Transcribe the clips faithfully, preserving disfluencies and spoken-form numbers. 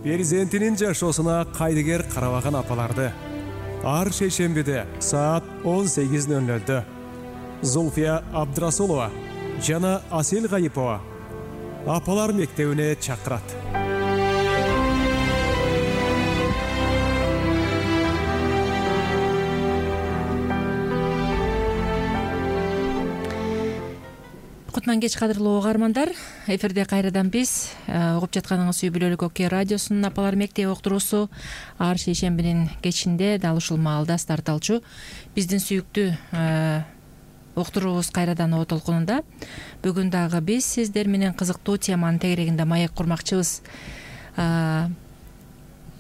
перзентинин жашоосуна кайдыгер карабаган апаларды ар шейшембиде саат он сегиз ноль нолдо Зульфия Абдрасулова жана Асел Гайипова апалар мектебине чакырат. Кутман кеч кадырлуу угармандар, эфирде кайрадан биз угуп жатканыңыз үй бүлөлүк Окей радиосунун апалар мектеби уктуруусу ар шейшембинин кечинде дал ушул маалда старт алчу биздин сүйүктүү уктуруубуз кайрадан о толкунунда. Бүгүн дагы биз сиздер менен кызыктуу теманын тегерегинде маек курмакчыбыз.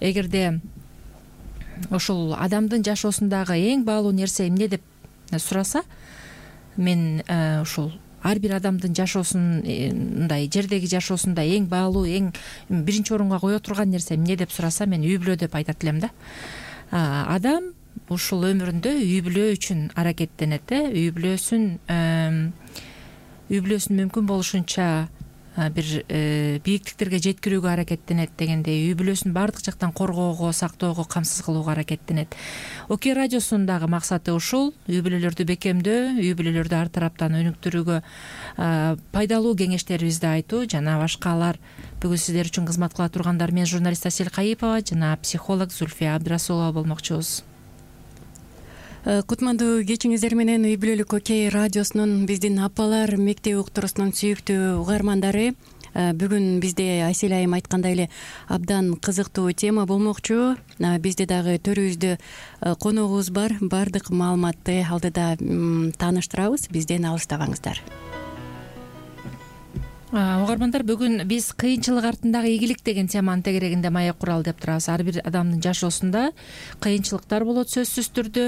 Эгерде ушул адамдын жашоосундагы эң баалуу нерсе эмне деп сураса, мен ушул ар бир адамдын жашоосундай жердеги жашоосунда эң баалуу, эң биринчи орунга кое турган нерсе эмне деп сураса, мен үй бүлө деп айтат элем да. Адам ушул өмүрүндө үй бүлө үчүн аракеттенет, үй бүлөсүн үй бүлөсүн мүмкүн болушунча бир бийиктиктерге жеткирүүгө аракеттенет дегендей, үй бүлөсүн баардык жактан коргоого, сактоого, камсыз кылууга аракеттенет. Окей радиосунун дагы максаты ушул: үй бүлөлөрдү бекемдөө, үй бүлөлөрдү ар тараптан өнүктүрүүгө пайдалуу кеңештерибизди айтуу жана башкалар. Бүгүн сиздер үчүн кызмат кыла тургандар мен журналист Асел Гайипова жана психолог Зульфия Абдрасулова болмокчубуз. Кутмандуу кечиңиздер менен үй бүлөлүк Окей радиосунун биздин апалар мектеби уктуруусунун сүйүктүү угармандары. Бүгүн бизде Асел айым айткандай эле абдан кызыктуу тема болмокчу. Бизде дагы төрүбүздө коногубуз бар. Баардык маалыматты алдыда тааныштырабыз. Бизден алыстабаңыздар. Угармандар, бүгүн биз кыйынчылык артындагы ийгилик деген теманын тегерегинде маек куралы деп турабыз. Ар бир адамдын жашоосунда кыйынчылыктар болот сөзсүз түрдө.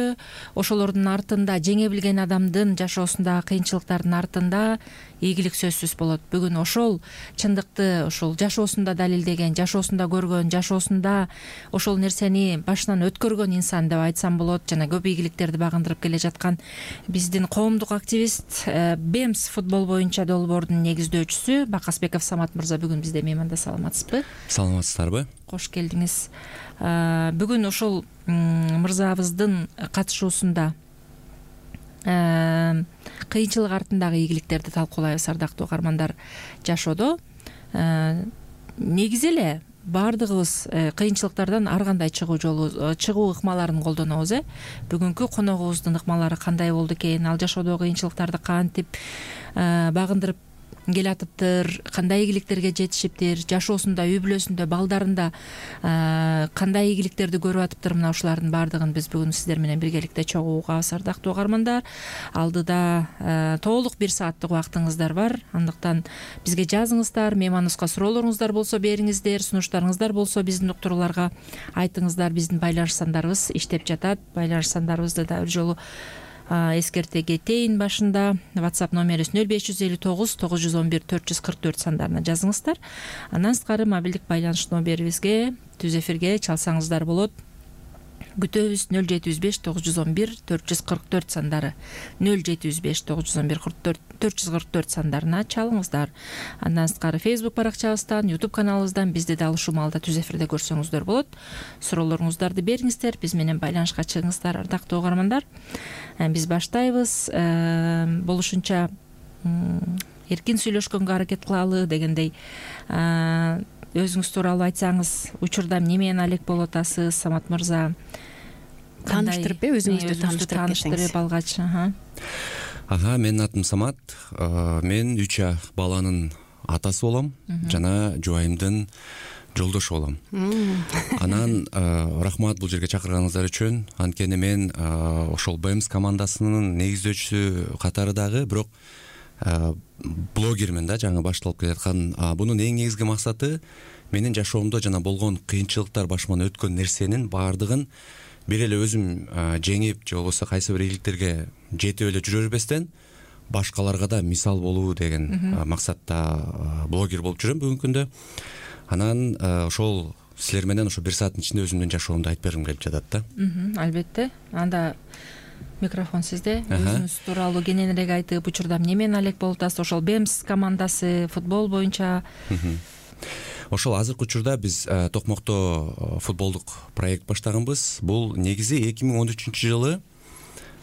Ошолордун артында, жеңе билген адамдын жашоосундагы кыйынчылыктардын артында ийгилик сөзсүз болот. Бүгүн ошол чындыкты ошол жашоосунда далилдеген, жашоосунда көргөн, жашоосунда ошол нерсени башынан өткөргөн инсан деп айтсам болот, жана көп ийгиликтерди багындырып келе жаткан биздин коомдук активист, БЭМС футбол боюнча долбоордун негиздөөчүсү Бакасбеков Самат мырза бүгүн бизде мейманда. Саламатсызбы? Саламатсыздарбы? Кош келдиңиз. Бүгүн ошол мырзабыздын катышуусунда кыйынчылык артындагы ийгиликтерди талкуулайбыз. Ардактуу угармандар, жашоодо негизи эле баардыгыбыз кыйынчылыктардан ар кандай чыгуу жолу, чыгуу ыкмаларын колдонобуз. э Бүгүнкү коногубуздун ыкмалары кандай болду экен, ал жашоодогу кыйынчылыктарды кантип багындырып келатыптыр, кандай ийгиликтерге жетишиптир, жашоосунда, үй бүлөсүндө, балдарында кандай ийгиликтерди көрүп атыптыр. Мына ушулардын баардыгын биз бүгүн сиздер менен биргеликте чогуу угабыз. Ардактуу угармандар, алдыда толук бир сааттык убактыңыздар бар. Андыктан бизге жазыңыздар, мейманыбызга суроолоруңуздар болсо бериңиздер, сунуштарыңыздар болсо биздин уктурууларга айтыңыздар. Биздин байланыш сандарыбыз иштеп жатат. Байланыш сандарыбызды да бир жолу эскерте кетейин. Башында WhatsApp номерибиз нөл беш жүз элүү тогуз тогуз жүз он бир төрт жүз кырк төрт сандарына жазыңыздар. Андан сырткары мобилдик байланыш номерибизге түз эфирге чалсаңыздар болот. Күтөбүз. нөл жети жүз беш тогуз жүз он бир төрт жүз кырк төрт сандары, нөл жети жүз беш тогуз жүз он бир төрт жүз кырк төрт сандарына чалыңыздар. Андан сырткары Facebook баракчабыздан, YouTube каналыбыздан бизди дал ушул маалда түз эфирде көрсөңүздөр болот. Суроолоруңуздарды бериңиздер, биз менен байланышка чыгыңыздар. Ардактуу угармандар, биз баштайбыз. Болушунча эркин сүйлөшкөнгө аракет кылалы дегендей. Өзүңүз тууралуу айтсаңыз, учурда эмне менен алек болуп атасыз, Самат мырза? Тааныштырып, өзүңүздү тааныштырып алгач. Ага, менин атым Самат. Мен үч баланын атасы болом жана жубайымдын жолдошу болом. Анан рахмат бул жерге чакырганыңыздар үчүн. Анткени мен ошол БЭМС командасынын негиздөөчүсү катары дагы, бирок блогермен да, жаңы башталып келаткан. Бунун эң негизги максаты менин жашоомдо жана болгон кыйынчылыктар, башыман өткөн нерсенин баардыгын бир эле өзүм жеңип, же болбосо кайсы бир ийгиликтерге жетип эле жүрө бербестен башкаларга да мисал болуу деген максатта блогер болуп жүрөм бүгүнкү күндө. Анан ошол силер менен ошо бир сааттын ичинде өзүмдүн жашоомду айтып бергим келип жатат да. Албетте. Анда микрофон сизде. Өзүңүз тууралуу кененирээк айтып, учурда эмне менен алек болуп атасыз? Ошол БЭМС командасы футбол боюнча. ошол азыркы учурда биз Токмокто футболдук проект баштаганбыз. Бул негизи эки миң он үчүнчү жылы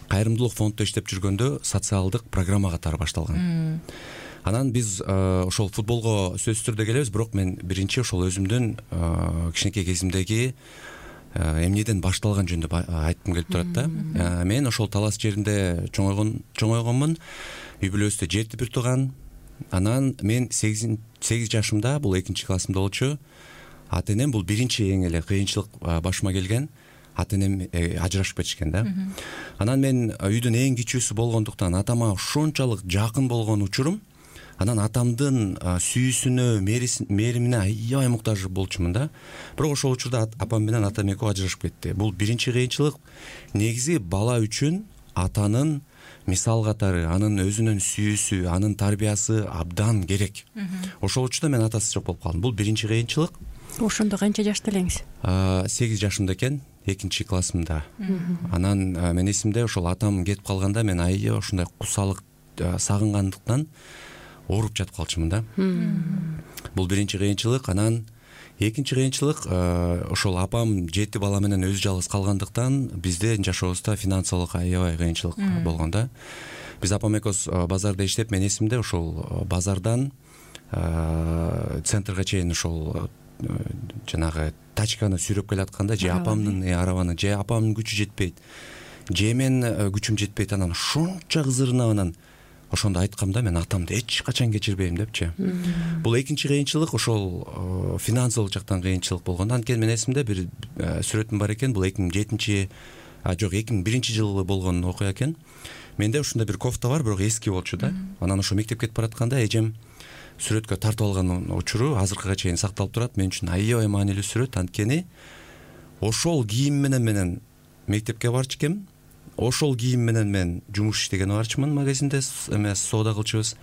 кайрымдуулук фонддо иштеп жүргөндө социалдык программа катары башталган. Анан биз ошол футболго сөзсүз түрдө келебиз, бирок мен биринчи ошол өзүмдүн кичинекей кезимдеги эмнеден башталган жөнүндө айткым келип турат да. Мен ошол Талас жеринде чоңойгон чоңойгонмун. Үй бүлөбүздө жети бир тууган. Анан мен сегиз жашымда, бул экинчи классымда болчу. Ата энем, бул биринчи эң эле кыйынчылык башыма келген. Ата энем ажырашып кетишкен да. Анан мен үйдүн эң кичүүсү болгондуктан атама ошончолук жакын болгон учурум. Анан атамдын сүйүүсүнө, мээримине аябай муктаж болчумун да. Бирок ошол учурда апам менен атам экөө ажырашып кетти. Бул биринчи кыйынчылык. Негизи бала үчүн атанын мисал катары, анын өзүнүн сүйүүсү, анын тарбиясы абдан керек. Ошол учурда мен атасыз жок болуп калдым. Бул биринчи кыйынчылык. Ошондо канча жашта элеңиз? сегиз жашымда экен, экинчи классымда. Анан мен эсимде, ошол атам кетип калганда мен аябай ушундай кусалык сагынгандыктан ооруп жатып калчумун да. Бул биринчи кыйынчылык. Анан экинчи кыйынчылык, ошол апам жети бала менен өзү жалгыз калгандыктан биздин жашообузда финансылык аябай кыйынчылык болгон да. Биз апам экөөбүз базарда иштеп, мен эсимде, ошол базардан центрга чейин ошол жанагы тачканы сүйрөп келатканда, же апамдын арабаны, же апамдын күчү жетпейт, же мен күчүм жетпейт. Анан ошончо кызырынып, анан ошондо айткам да, мен атамды эч качан кечирбейм депчи. Бул экинчи кыйынчылык ошол финансылык жактан кыйынчылык болгон. Анткени мен эсимде бир сүрөтүм бар экен. Бул эки миң жетинчи, а жок, эки миң биринчи жылы болгон окуя экен. Менде ушундай бир кофта бар, бирок эски болчу да. Анан ошо мектепке кетип баратканда эжем сүрөткө тартып алган учуру азыркыга чейин сакталып турат. Мен үчүн аябай маанилүү сүрөт. Анткени ошол кийим менен менен мектепке барчу экем. Ошол кийим менен мен жумуш иштеген барчумун, магазинде эмес соода кылчубуз.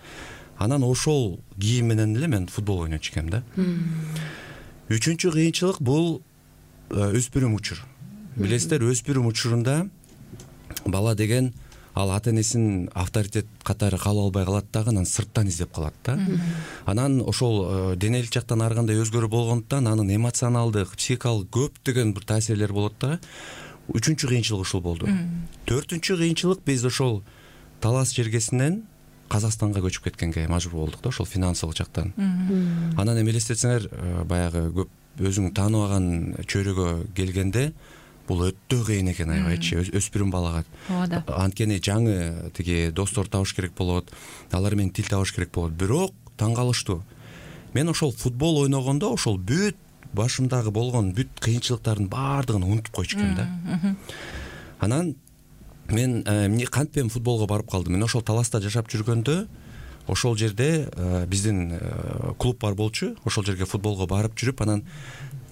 Анан ошол кийим менен эле мен футбол ойночу экем да. Үчүнчү кыйынчылык бул өспүрүм учур. Билесиздер, өспүрүм учурунда бала деген ал ата энесин авторитет катары кабыл албай калат дагы, анан сырттан издеп калат да. Анан ошол денелик жактан ар кандай өзгөрүү болгондуктан анын эмоционалдык, психикалык көптөгөн бир таасирлери болот да. Үчүнчү кыйынчылык ушул болду. Төртүнчү кыйынчылык, биз ошол Талас жергесинен Казакстанга көчүп кеткенге мажбур болдук да, ошол финансылык жактан. Анан эми элестетсеңер, баягы көп өзүң тааныбаган чөйрөгө келгенде бул өтө кыйын экен, аябайчы, өспүрүм балага. Ооба. Анткени жаңы тиги достор табыш керек болот, алар менен тил табыш керек болот. Бирок таң калыштуу. Мен ошол футбол ойногондо ошол бүт башымдагы болгон бүт кыйынчылыктардын баардыгын унутуп койчу экем да. Анан мен эмне кантпен футболго барып калдым. Мен ошол Таласта жашап жүргөндө ошол жерде биздин клуб бар болчу. Ошол жерге футболго барып жүрүп, анан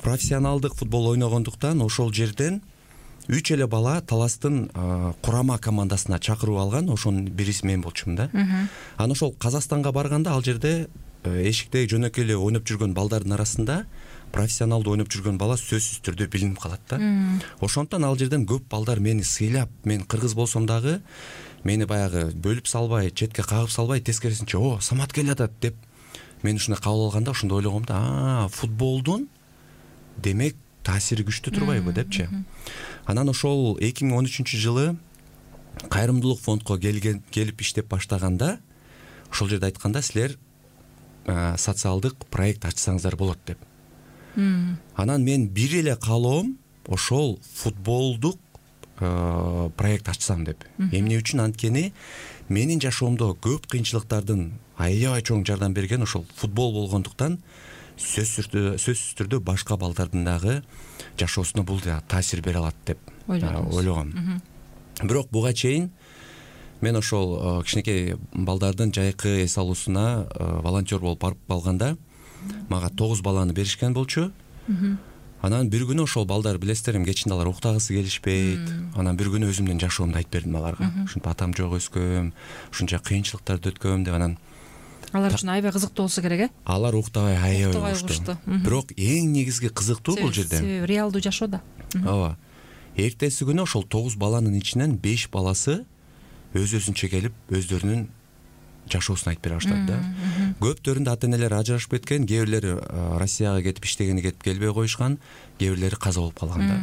профессионалдык футбол ойногондуктан ошол жерден үч эле бала Таластын курама командасына чакырып алган. Ошонун бириси мен болчумун да. Анан ошол Казакстанга барганда ал жерде эшикте жөнөкөй эле ойноп жүргөн балдардын арасында профессионалдуу ойноп жүргөн бала сөзсүз түрдө билинип калат да. Ошондон ал жерден көп балдар мени сыйлап, мен кыргыз болсом дагы мени баягы бөлүп салбай, четке кагып салбай, тескерисинче, о, Самат келатат деп мен ушундай кабыл алганда ошондо ойлогом да, а, футболдун демек таасири күчтүү турбайбы депчи. Анан ошол эки миң он үчүнчү жылы кайрымдуулук фондко келген келип иштеп баштаганда ошол жерде айтканда, силер социалдык проект ачсаңыздар болот деп. Анан мен бир эле каалоом ошол футболдук проект ачсам деп. Эмне үчүн? Анткени менин жашоомдо көп кыйынчылыктардын аябай чоң жардам берген ошол футбол болгондуктан сөзсүз түрдө башка балдардын дагы жашоосуна бул да таасир бере алат деп ойлогом. Бирок буга чейин мен ошол кичинекей балдардын жайкы эс алуусуна волонтер болуп барып калганда мага тогуз баланы беришкен болчу. Анан бир күнү ошол балдар, билесиздер, кечинде алар уктагысы келишпейт. Анан бир күнү өзүмдүн жашоомду айтып бердим аларга. Ушинтип атам жок өскөм, ушунча кыйынчылыктарды өткөм деп. Анан алар үчүн аябай кызыктуу болсо керек, э? Алар уктабай аябай уктушту. Бирок эң негизги кызыктуу бул жерде реалдуу жашоо да. Ооба. Эртеси күнү ошол тогуз баланын ичинен беш баласы өз-өзүнчө келип өздөрүнүн жашоосун айтып бере баштады да. Көптөрүндө ата энелер ажырашып кеткен, кээ бирлери Россияга кетип иштегени кетип келбей коюшкан, кээ бирлери каза болуп калган да.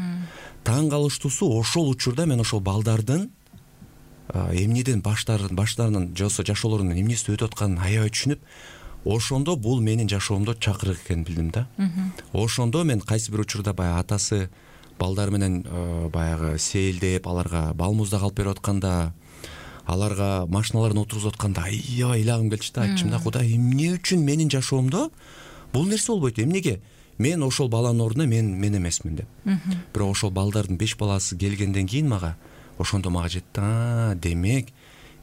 Таң калыштуусу ошол учурда мен ошол балдардын эмнеден баштарын баштарынан жосо жашоолорунун эмнеси өтүп атканын аябай түшүнүп, ошондо бул менин жашоомдо чакырык экенин билдим да. Ошондо мен кайсы бир учурда баягы атасы балдар менен баягы сейилдеп, аларга бал муздак алып берип атканда, аларга машиналарын отургузуп атканда аябай ыйлагым келчү да. Айтчым да, Кудай, эмне үчүн менин жашоомдо бул нерсе болбойт? Эмнеге мен ошол баланын ордуна мен мен эмесмин деп. Бирок ошол балдардын беш баласы келгенден кийин мага ошондо мага жетти. А, демек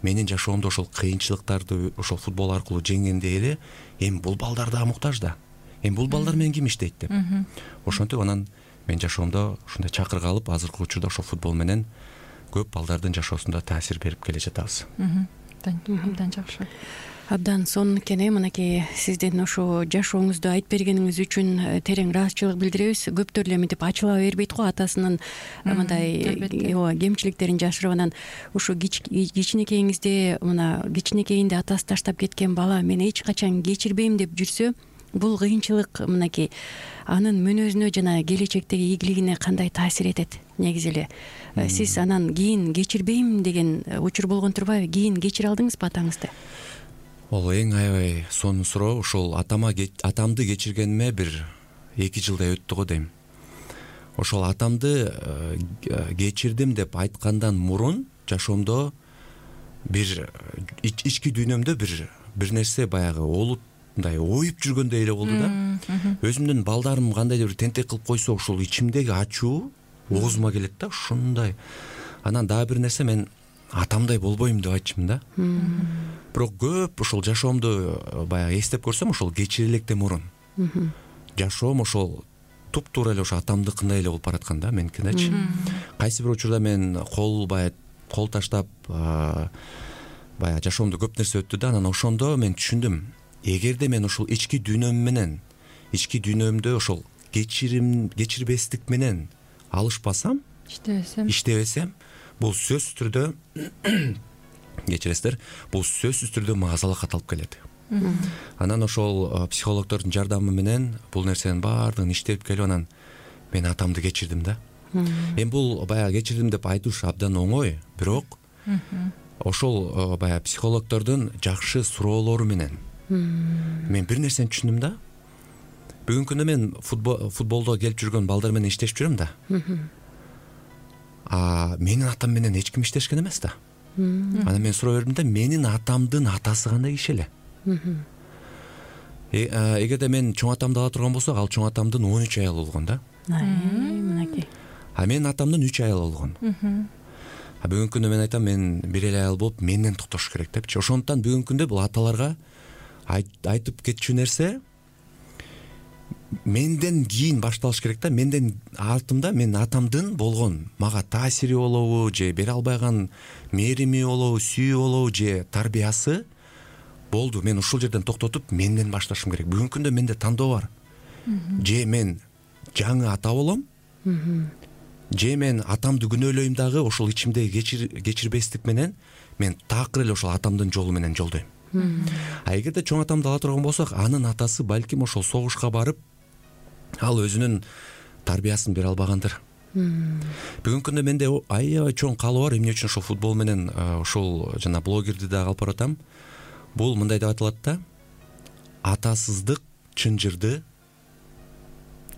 менин жашоомдо ошол кыйынчылыктарды ошол футбол аркылуу жеңгенде эле эми бул балдар да муктаж да. Эми бул балдар менен ким иштейт деп. Ошентип анан мен жашоомдо ушундай чакырык алып, азыркы учурда ошол футбол менен көп балдардын жашоосунда таасир берип келе жатабыз. Абдан жакшы. Абдан сонун экен. Мынакей сиздин ошо жашооңузду айтып бергениңиз үчүн терең ыраазычылык билдиребиз. Көптөр эле мынтип ачыла бербейт го атасынын мындай ооба кемчиликтерин жашырып, анан ошо кичинекейиңизде мына кичинекейинде атасы таштап кеткен бала мен эч качан кечирбейм деп жүрсө, бул кыйынчылык мынакей анын мүнөзүнө жана келечектеги ийгилигине кандай таасир этет? Негизи эле сиз анан кийин кечирбейм деген учур болгон турбайбы? Кийин кечире алдыңызбы атаңызды? Ол эң аябай сонун суроо. Ошол атама атамды кечиргениме бир эки жылдай өттү го дейм. Ошол атамды кечирдим деп айткандан мурун жашоомдо бир ички дүйнөмдө бир бир нерсе баягы олуп мындай оюп жүргөндөй эле болду да. Өзүмдүн балдарым кандайдыр бир тентек кылып койсо, ошол ичимдеги ачуу оозума келет да, ушундай. Анан дагы бир нерсе, мен атамдай болбойм деп айтчымын да. Бирок көп ошол жашоомду баягы эстеп көрсөм, ошол кечире электен мурун жашоом ошол туп-туура эле ошо атамдыкындай эле болуп бараткан да, меникиндечи. Кайсы бир учурда мен кол баягы кол таштап баягы жашоомдо көп нерсе өттү да. Анан ошондо мен түшүндүм, эгерде мен ошол ички дүйнөм менен, ички дүйнөмдө ошол кечирим кечирбестик менен алышпасам, иштебесем, иштебесем, бул сөзсүз түрдө кечиресиздер, бул сөзсүз түрдө мага залакат алып келет. Анан ошол психологдордун жардамы менен бул нерсенин баардыгын иштеп келип, анан мен атамды кечирдим да. Эми бул баягы кечирдим деп айтыш абдан оңой, бирок ошол баягы психологдордун жакшы суроолору менен мен бир нерсени түшүндүм да. Бүгүнкү күндө мен футболдо келип жүргөн балдар менен иштешип жүрөм да. А менин атам менен эч ким иштешкен эмес да. Анан мен суроо бердим да, менин атамдын атасы кандай киши эле? Эгерде мен чоң атамды ала турган болсок, ал чоң атамдын он үч аялы болгон да. Мынакей. А менин атамдын үч аялы болгон. А бүгүнкү күндө мен айтам, мен бир эле аял болуп менден токтош керек депчи. Ошондуктан бүгүнкү күндө бул аталарга айтып кетчү нерсе менден кийин башталыш керек да. Менден артымда менин атамдын болгон мага таасири болобу, же бере албаган мээрими болобу, сүйүү болобу, же тарбиясы болду. Мен ушул жерден токтотуп менден башташым керек. Бүгүнкү күндө менде тандоо бар. Же мен жаңы ата болом, же мен атамды күнөөлөйм дагы ошол ичимдеги кечирбестик менен мен такыр эле ошол атамдын жолу менен жолдойм. А эгерде чоң атамды ала турган болсок, анын атасы балким ошол согушка барып, ал өзүнүн тарбиясын бере албагандыр. Бүгүнкү күндө менде аябай чоң каалоо бар. Эмне үчүн ошол футбол менен ошол жана блогерди дагы алып баратам. Бул мындай деп аталат да: атасыздык чынжырды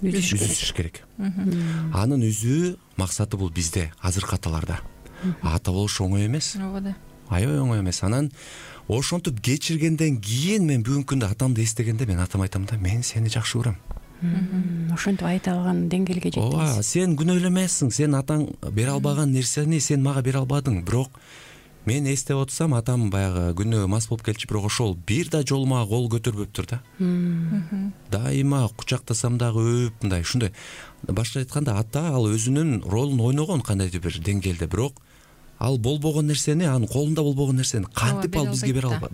үзүш керек. Анын үзүү максаты бул бизде, азыркы аталарда. Ата болуш оңой эмес. Аябай оңой эмес. Анан ошентип кечиргенден кийин мен бүгүнкү күндө атамды эстегенде мен атама айтам да, мен сени жакшы көрөм. Ошентип айта алган деңгээлге жеттиңиз. Ооба, сен күнөөлөмөсүң, сен атаң бере албаган нерсени сен мага бере албадың. Бирок мен эстеп отсам, атам баягы күнөө мас болуп келчү, бирок ошол бир да жолу мага кол көтөрбөптүр да. Дайыма кучактасам дагы өп мындай, ушундай. Башка айтканда, ата ал өзүнүн ролун ойногон кандайдыр бир деңгээлде, бирок ал болбогон нерсени, анын колунда болбогон нерсени кантип ал бизге бере алат?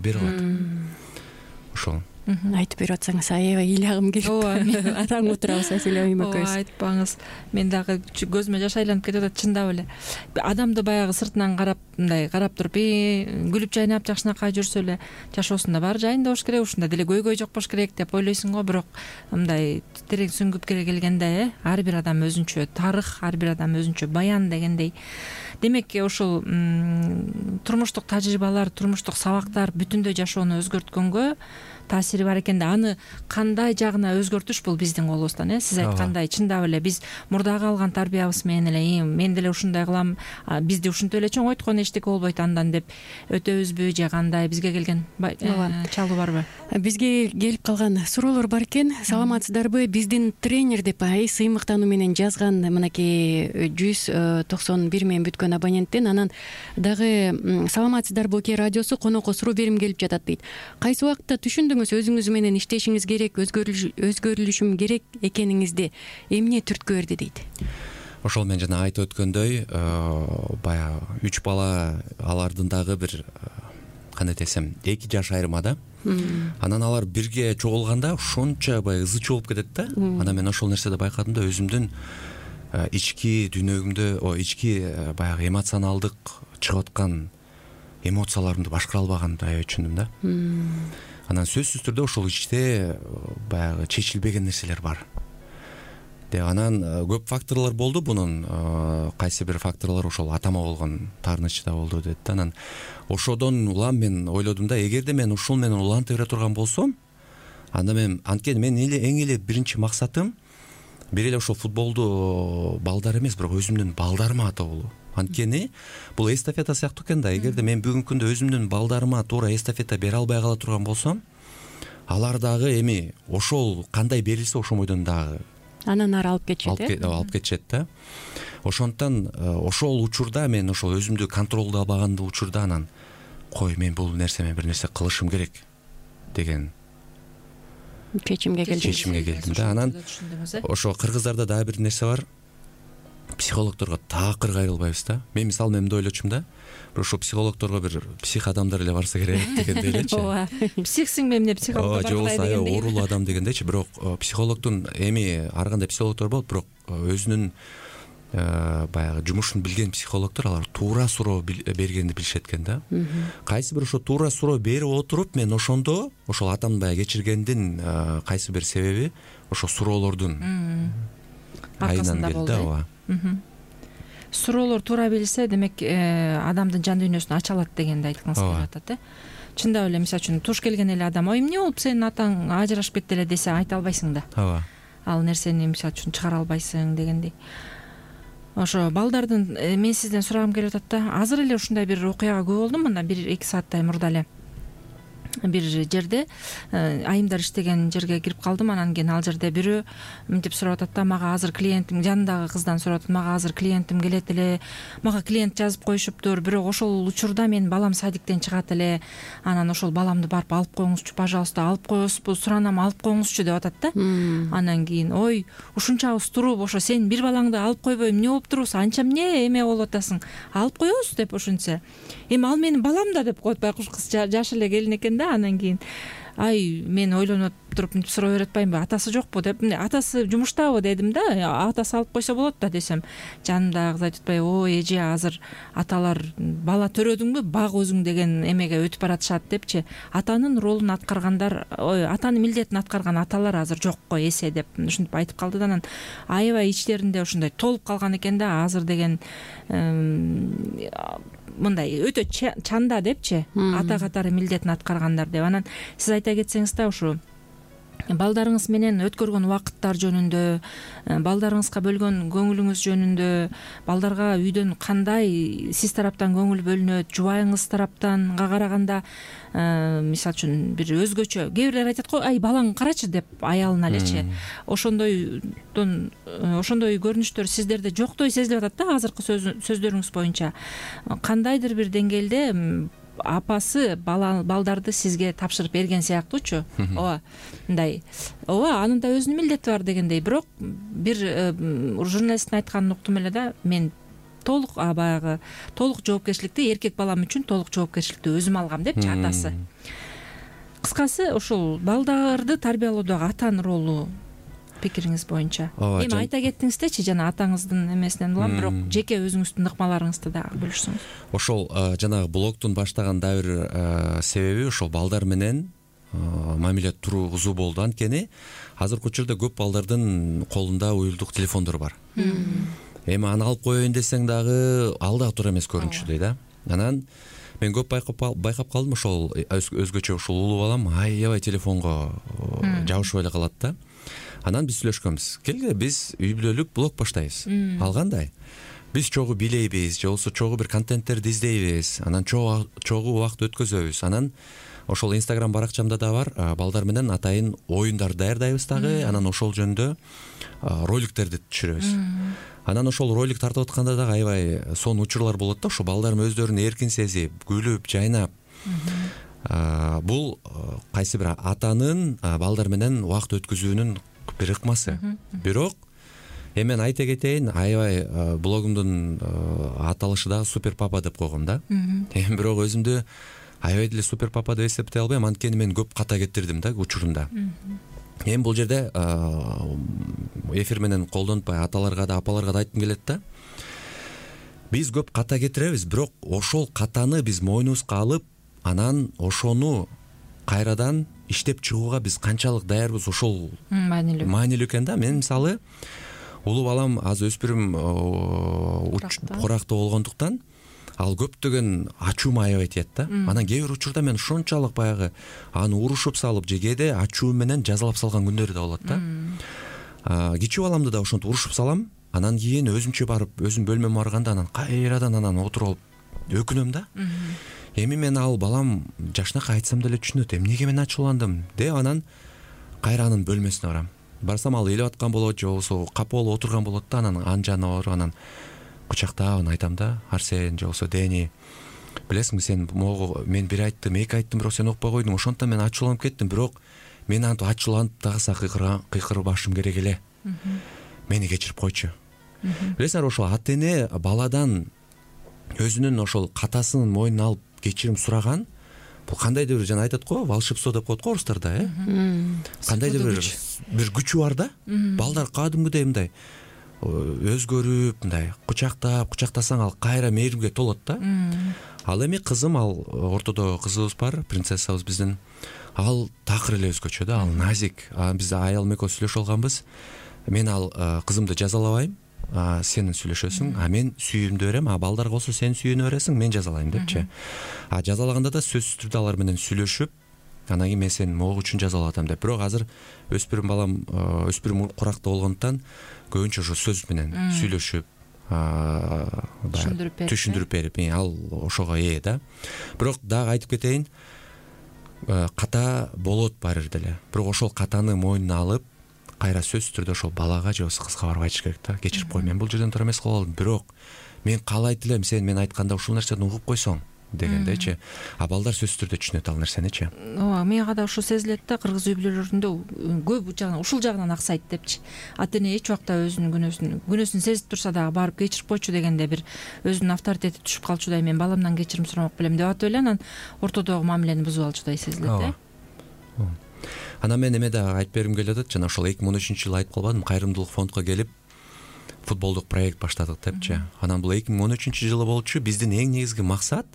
Ошол. айтып берип атсаңыз аябай ыйлагым келип ооба атаң отурабыз Аселя айым экөөбүз. ооба айтпаңыз, мен дагы көзүмө жаш айланып кетип атат чындап эле. Адамды баягы сыртынан карап мындай карап туруп күлүп жайнап жакшынакай жүрсө эле жашоосунда баары жайында болуш керек, ушунда деле көйгөй жок болуш керек деп ойлойсуң го. Бирок мындай терең сүңгүп келгенде э ар бир адам өзүнчө тарых, ар бир адам өзүнчө баян дегендей. Демек ошол турмуштук тажрыйбалар, турмуштук сабактар бүтүндөй жашоону өзгөрткөнгө таасири бар экен да. Аны кандай жагына өзгөртүш бул биздин колубуздан э сиз айткандай. Чындап эле биз мурдагы алган тарбиябыз менен эле мен деле ушундай кылам, бизди ушинтип эле чоңойткон, эчтеке болбойт андан деп өтөбүзбү же кандай? Бизге келген чалуу барбы? Бизге келип калган суроолор бар экен. Саламатсыздарбы? Биздин тренер деп ай сыймыктануу менен жазган мынакей жүз токсон бир менен бүткөн абоненттен. Анан дагы саламатсыздарбы Кей радиосу конокко суроо берим келип жатат дейт. Кайсы убакытта түшүндүңүз өзүңүз менен иштешиңиз керек, өзгөрүлүшүм керек экениңизди эмне түрткү берди дейт. Ошол мен жана айтып өткөндөй, баягы үч бала, алардын дагы бир кандай десем эки жаш айырмада. Анан алар бирге чогулганда ошончо баягы ызы чуу болуп кетет да. Анан мен ошол нерседи байкадым да, өзүмдүн ички дүйнөгүмдө, о ички баягы эмоционалдык чыгып аткан эмоцияларымды башкара албаганымды аябай түшүндүм да. Анан сөзсүз түрдө ошол ичте баягы чечилбеген нерселер бар. Деп анан көп факторлор болду бунун. Кайсы бир факторлор ошол атама болгон таарынычы да болду дейт да. Анан ошодон улам мен ойлодум да, эгерде мен ушул менен уланта бере турган болсом, анда мен анткени мен эле эң эле биринчи максатым бир эле ошол футболду балдар эмес, бирок өзүмдүн балдарыма атоо болуу. Анткени бул эстафета сыяктуу экен да. Эгерде мен бүгүнкү күндө өзүмдүн балдарыма туура эстафета бере албай кала турган болсом, алар дагы эми ошол кандай берилсе ошомойдон дагы анан ары алып кетишет э алып кетишет да. Ошондуктан ошол учурда мен ошол өзүмдү контролдо албаган учурда анан кой, мен бул нерсеме бир нерсе кылышым керек деген чечимге келдим. Чечимге келдим да. Анан ошо кыргыздарда дагы бир нерсе бар. Психологторго такыр кайрылбайбыз да. Мен мисалы мен мындай ойлочумун да. Бирок ошо психологторго бир псих адамдар эле барса керек дегендей элечи. Ооба. Психсиң эмне психологко барбай дегендей. Ооба, оорулуу адам дегендейчи. Бирок психологдун эми ар кандай психологтор болот, бирок өзүнүн баягы жумушун билген психологтор алар туура суроо бергенди билишет экен да. Кайсы бир ошо туура суроо берип отуруп мен ошондо ошол атамдын баягы кечиргендин кайсы бир себеби ошо суроолордун айынан келди да. Ооба. Суроолор туура берилсе, демек адамдын жан дүйнөсүн ача алат дегенди айткыңыз келип атат э. Чындап эле, мисалы үчүн туш келген эле адам ой эмне болуп сенин атаң ажырашып кетти эле десе айта албайсың да. Ооба. Ал нерсени мисалы үчүн чыгара албайсың дегендей. Ошо балдардын мен сизден сурагым келип атат да. Азыр эле ушундай бир окуяга күбө болдум, мына бир эки сааттай мурда эле. Бир жерде айымдар иштеген жерге кирип калдым. Анан кийин ал жерде бирөө мынтип сурап атат да, мага азыр клиентим, жанындагы кыздан сурап атат, мага азыр клиентим келет эле, мага клиент жазып коюшуптур, бирок ошол учурда менин балам садиктен чыгат эле, анан ошол баламды барып алып коюңузчу, пожалуйста, алып коесузбу, суранам, алып коюңузчу деп атат да. Анан кийин ой, ушунчабыз туруп, ошо сен бир балаңды алып койбой эмне болуп турбусуң, анча эмне эме болуп атасың, алып коебуз деп ошентсе. Эми ал менин балам да деп коет, байкуш кыз жашы эле келин экен да. Анан кийин ай мен ойлонуп туруп мынтип суроо берип атпаймынбы, атасы жокпу деп, атасы жумуштабы дедим да. Атасы алып койсо болот да десем, жанымдагы кыз айтып атпайбы, ой эже азыр аталар бала төрөдүңбү, баг өзүң деген эмеге өтүп баратышат депчи. Атанын ролун аткаргандар, ой атанын милдетин аткарган аталар азыр жок го эсе деп ушинтип айтып калды да. Анан аябай ичтеринде ушундай толуп калган экен да. Азыр деген мындай өтө чанда депчи, ата катары милдетин аткаргандар деп. Анан сиз айта кетсеңиз да, ушу балдарыңыз менен өткөргөн убакыттар жөнүндө, балдарыңызга бөлгөн көңүлүңүз жөнүндө, балдарга үйдөн кандай сиз тараптан көңүл бөлүнөт, жубайыңыз тараптанга караганда мисалы үчүн бир өзгөчө, кээ бирлер айтат го, ай балаң карачы деп аялына элечи. Ошондойдон ошондой көрүнүштөр сиздерде жоктой сезилип атат да азыркы сөздөрүңүз боюнча. Кандайдыр бир деңгээлде апасы балдарды сизге тапшырып берген сыяктуучу. Ооба, мындай. Ооба, анын да өзүнүн милдети бар дегендей. Бирок бир журналисттин айтканын уктум эле да, мен толук баягы толук жоопкерчиликти эркек балам үчүн толук жоопкерчиликти өзүм алгам депчи атасы. кыскасы ошол балдарды тарбиялоодогу атанын ролу пикириңиз боюнча. Эми айта кеттиңиздечи жана атаңыздын эмесинен улам, бирок жеке өзүңүздүн ыкмаларыңызды дагы бөлүшсөңүз. Ошол жанагы блогтун баштаган дагы бир себеби ошол балдар менен мамиле тургузуу болду. Анткени азыркы учурда көп балдардын колунда уюлдук телефондор бар. Эми аны алып коеюн десең дагы ал дагы туура эмес көрүнүчүдөй да. Анан мен көп байкап калдым, ошол өзгөчө ушул улуу балам аябай телефонго жабышып эле калат да. Анан биз сүйлөшкөнбүз. Келгиле биз үй бүлөлүк блог баштайбыз. Ал кандай? Биз чогуу бийлейбиз, же болбосо чогуу бир контенттерди издейбиз, анан чогуу убакыт өткөзөбүз. Анан ошол Instagram баракчамда да бар, балдар менен атайын оюндар даярдайбыз дагы, анан ошол жөнүндө роликтерди түшүрөбүз. Анан ошол ролик тартып атканда дагы аябай сонун учурлар болот да, ошо балдарым өздөрүн эркин сезип, күлүп, жайнап. Бул кайсы бир атанын балдар менен убакыт өткөзүүнүн бир ыкмасы. Бирок эми мен айта кетейин, аябай блогумдун аталышы дагы Супер Папа деп койгом да. Эми бирок өзүмдү аябай деле Супер Папа деп эсептей албайм, анткени мен көп ката кетирдим да учурунда. Эми бул жерде эфир менен колдонтпай аталарга да, апаларга да айткым келет да. Биз көп ката кетиребиз, бирок ошол катаны биз мойнубузга алып, анан ошону кайрадан иштеп чыгууга биз канчалык даярбыз, ошол маанилүү маанилүү экен да. Мен мисалы улуу балам аз өспүрүм курактуу болгондуктан ал көптөгөн ачуума аябай тиет да. Анан кээ бир учурда мен ушунчалык баягы аны урушуп салып же кээде ачуу менен жазалап салган күндөрү да болот да. Кичүү баламды да ошентип урушуп салам, анан кийин өзүмчө барып өзүм бөлмөмө барганда анан кайрадан анан отуруп алып өкүнөм да. Эми мен ал балам жашынакай айтсам деле түшүнөт, эмнеге мен ачууландым деп анан кайра анын бөлмөсүнө барам. Барсам ал ээлеп аткан болот, же болбосо капа болуп отурган болот да, анан ан жанына барып анан кучактап анан айтам да: Арсен же болбосо Дени, билесиңби сен могу мен бир айттым, эки айттым, бирок сен укпай койдуң, ошондон мен ачууланып кеттим, бирок мен антип ачууланып дагы кыйкырып башым керек эле. Мени кечирип койчу. Билесиңер, ошол ата эне баладан өзүнүн ошол катасын мойнуна алып кечирим сураган, бул кандайдыр бир, жана айтат го, волшебство деп коет го орустарда, э? Кандайдыр бир бир күчү бар да. Балдар кадимгидей мындай өзгөрүп, мындай кучактап, кучактасаң ал кайра мээримге толот да. Ал эми кызым, ал ортодо кызыбыз бар, принцессабыз биздин. Ал такыр эле өзгөчө да, ал назик. Биз аялым экөөбүз сүйлөшүп алганбыз. Мен ал кызымды жазалабайм, сен сүйлөшөсүң, а мен сүйүүмдү берем, а балдарга болсо сен сүйүүнү бересиң, мен жазалайм депчи. А жазалаганда да сөзсүз түрдө алар менен сүйлөшүп, анан кийин мен сени могу үчүн жазалап атам деп. Бирок азыр өспүрүм балам, өспүрүм куракта болгондуктан көбүнчө ошо сөз менен сүйлөшүп, түшүндүрүп берип, ал ошого ээ да. Бирок дагы айтып кетейин, ката болот баары бир деле. Бирок ошол катаны мойнуна алып, кайра сөзсүз түрдө ошол балага же болбосо кызга барып айтыш керек да. Кечирип кой, мен бул жерден туура эмес кылып алдым, бирок мен каалайт элем сен мен айтканда ушул нерсени угуп койсоң дегендечи. А балдар сөзсүз түрдө түшүнөт ал нерсеничи. Ооба, мага да ошо сезилет да, кыргыз үй бүлөлөрүндө көп жагынан ушул жагынан аксайт депчи. Ата эне эч убакта өзүнүн күнөөсүн күнөөсүн сезип турса дагы барып кечирип койчу дегенде бир өзүнүн авторитети түшүп калчудай, мен баламдан кечирим сурамак белем деп атып эле анан ортодогу мамилени бузуп алчудай сезилет э. Анан мен эме да айтып бергим келип атат, жана ошол эки миң он үчүнчү жылы айтып калбадым, кайрымдуулук фондко келип футболдук проект баштадык депчи. Анан бул эки миң он үчүнчү жылы болчу. Биздин эң негизги максат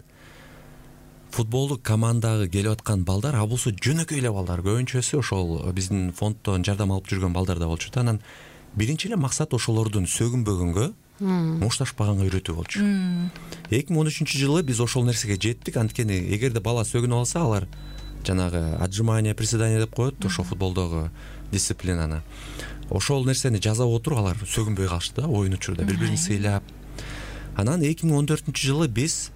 футболдук командага келип аткан балдар, а болсо жөнөкөй эле балдар, көбүнчөсү ошол биздин фонддон жардам алып жүргөн балдар да болчу да. Анан биринчи эле максат ошолордун сөгүнбөгөнгө, мушташпаганга үйрөтүү болчу. эки миң он үчүнчү жылы биз ошол нерсеге жеттик, анткени эгерде бала сөгүнүп алса, алар жанагы отжимание, приседание деп коет, ошо футболдогу дисциплинаны. Ошол нерсени жасап отуруп алар сөгүнбөй калышты да, оюн учурда бири-бирин сыйлап. Анан эки миң он төртүнчү жылы биз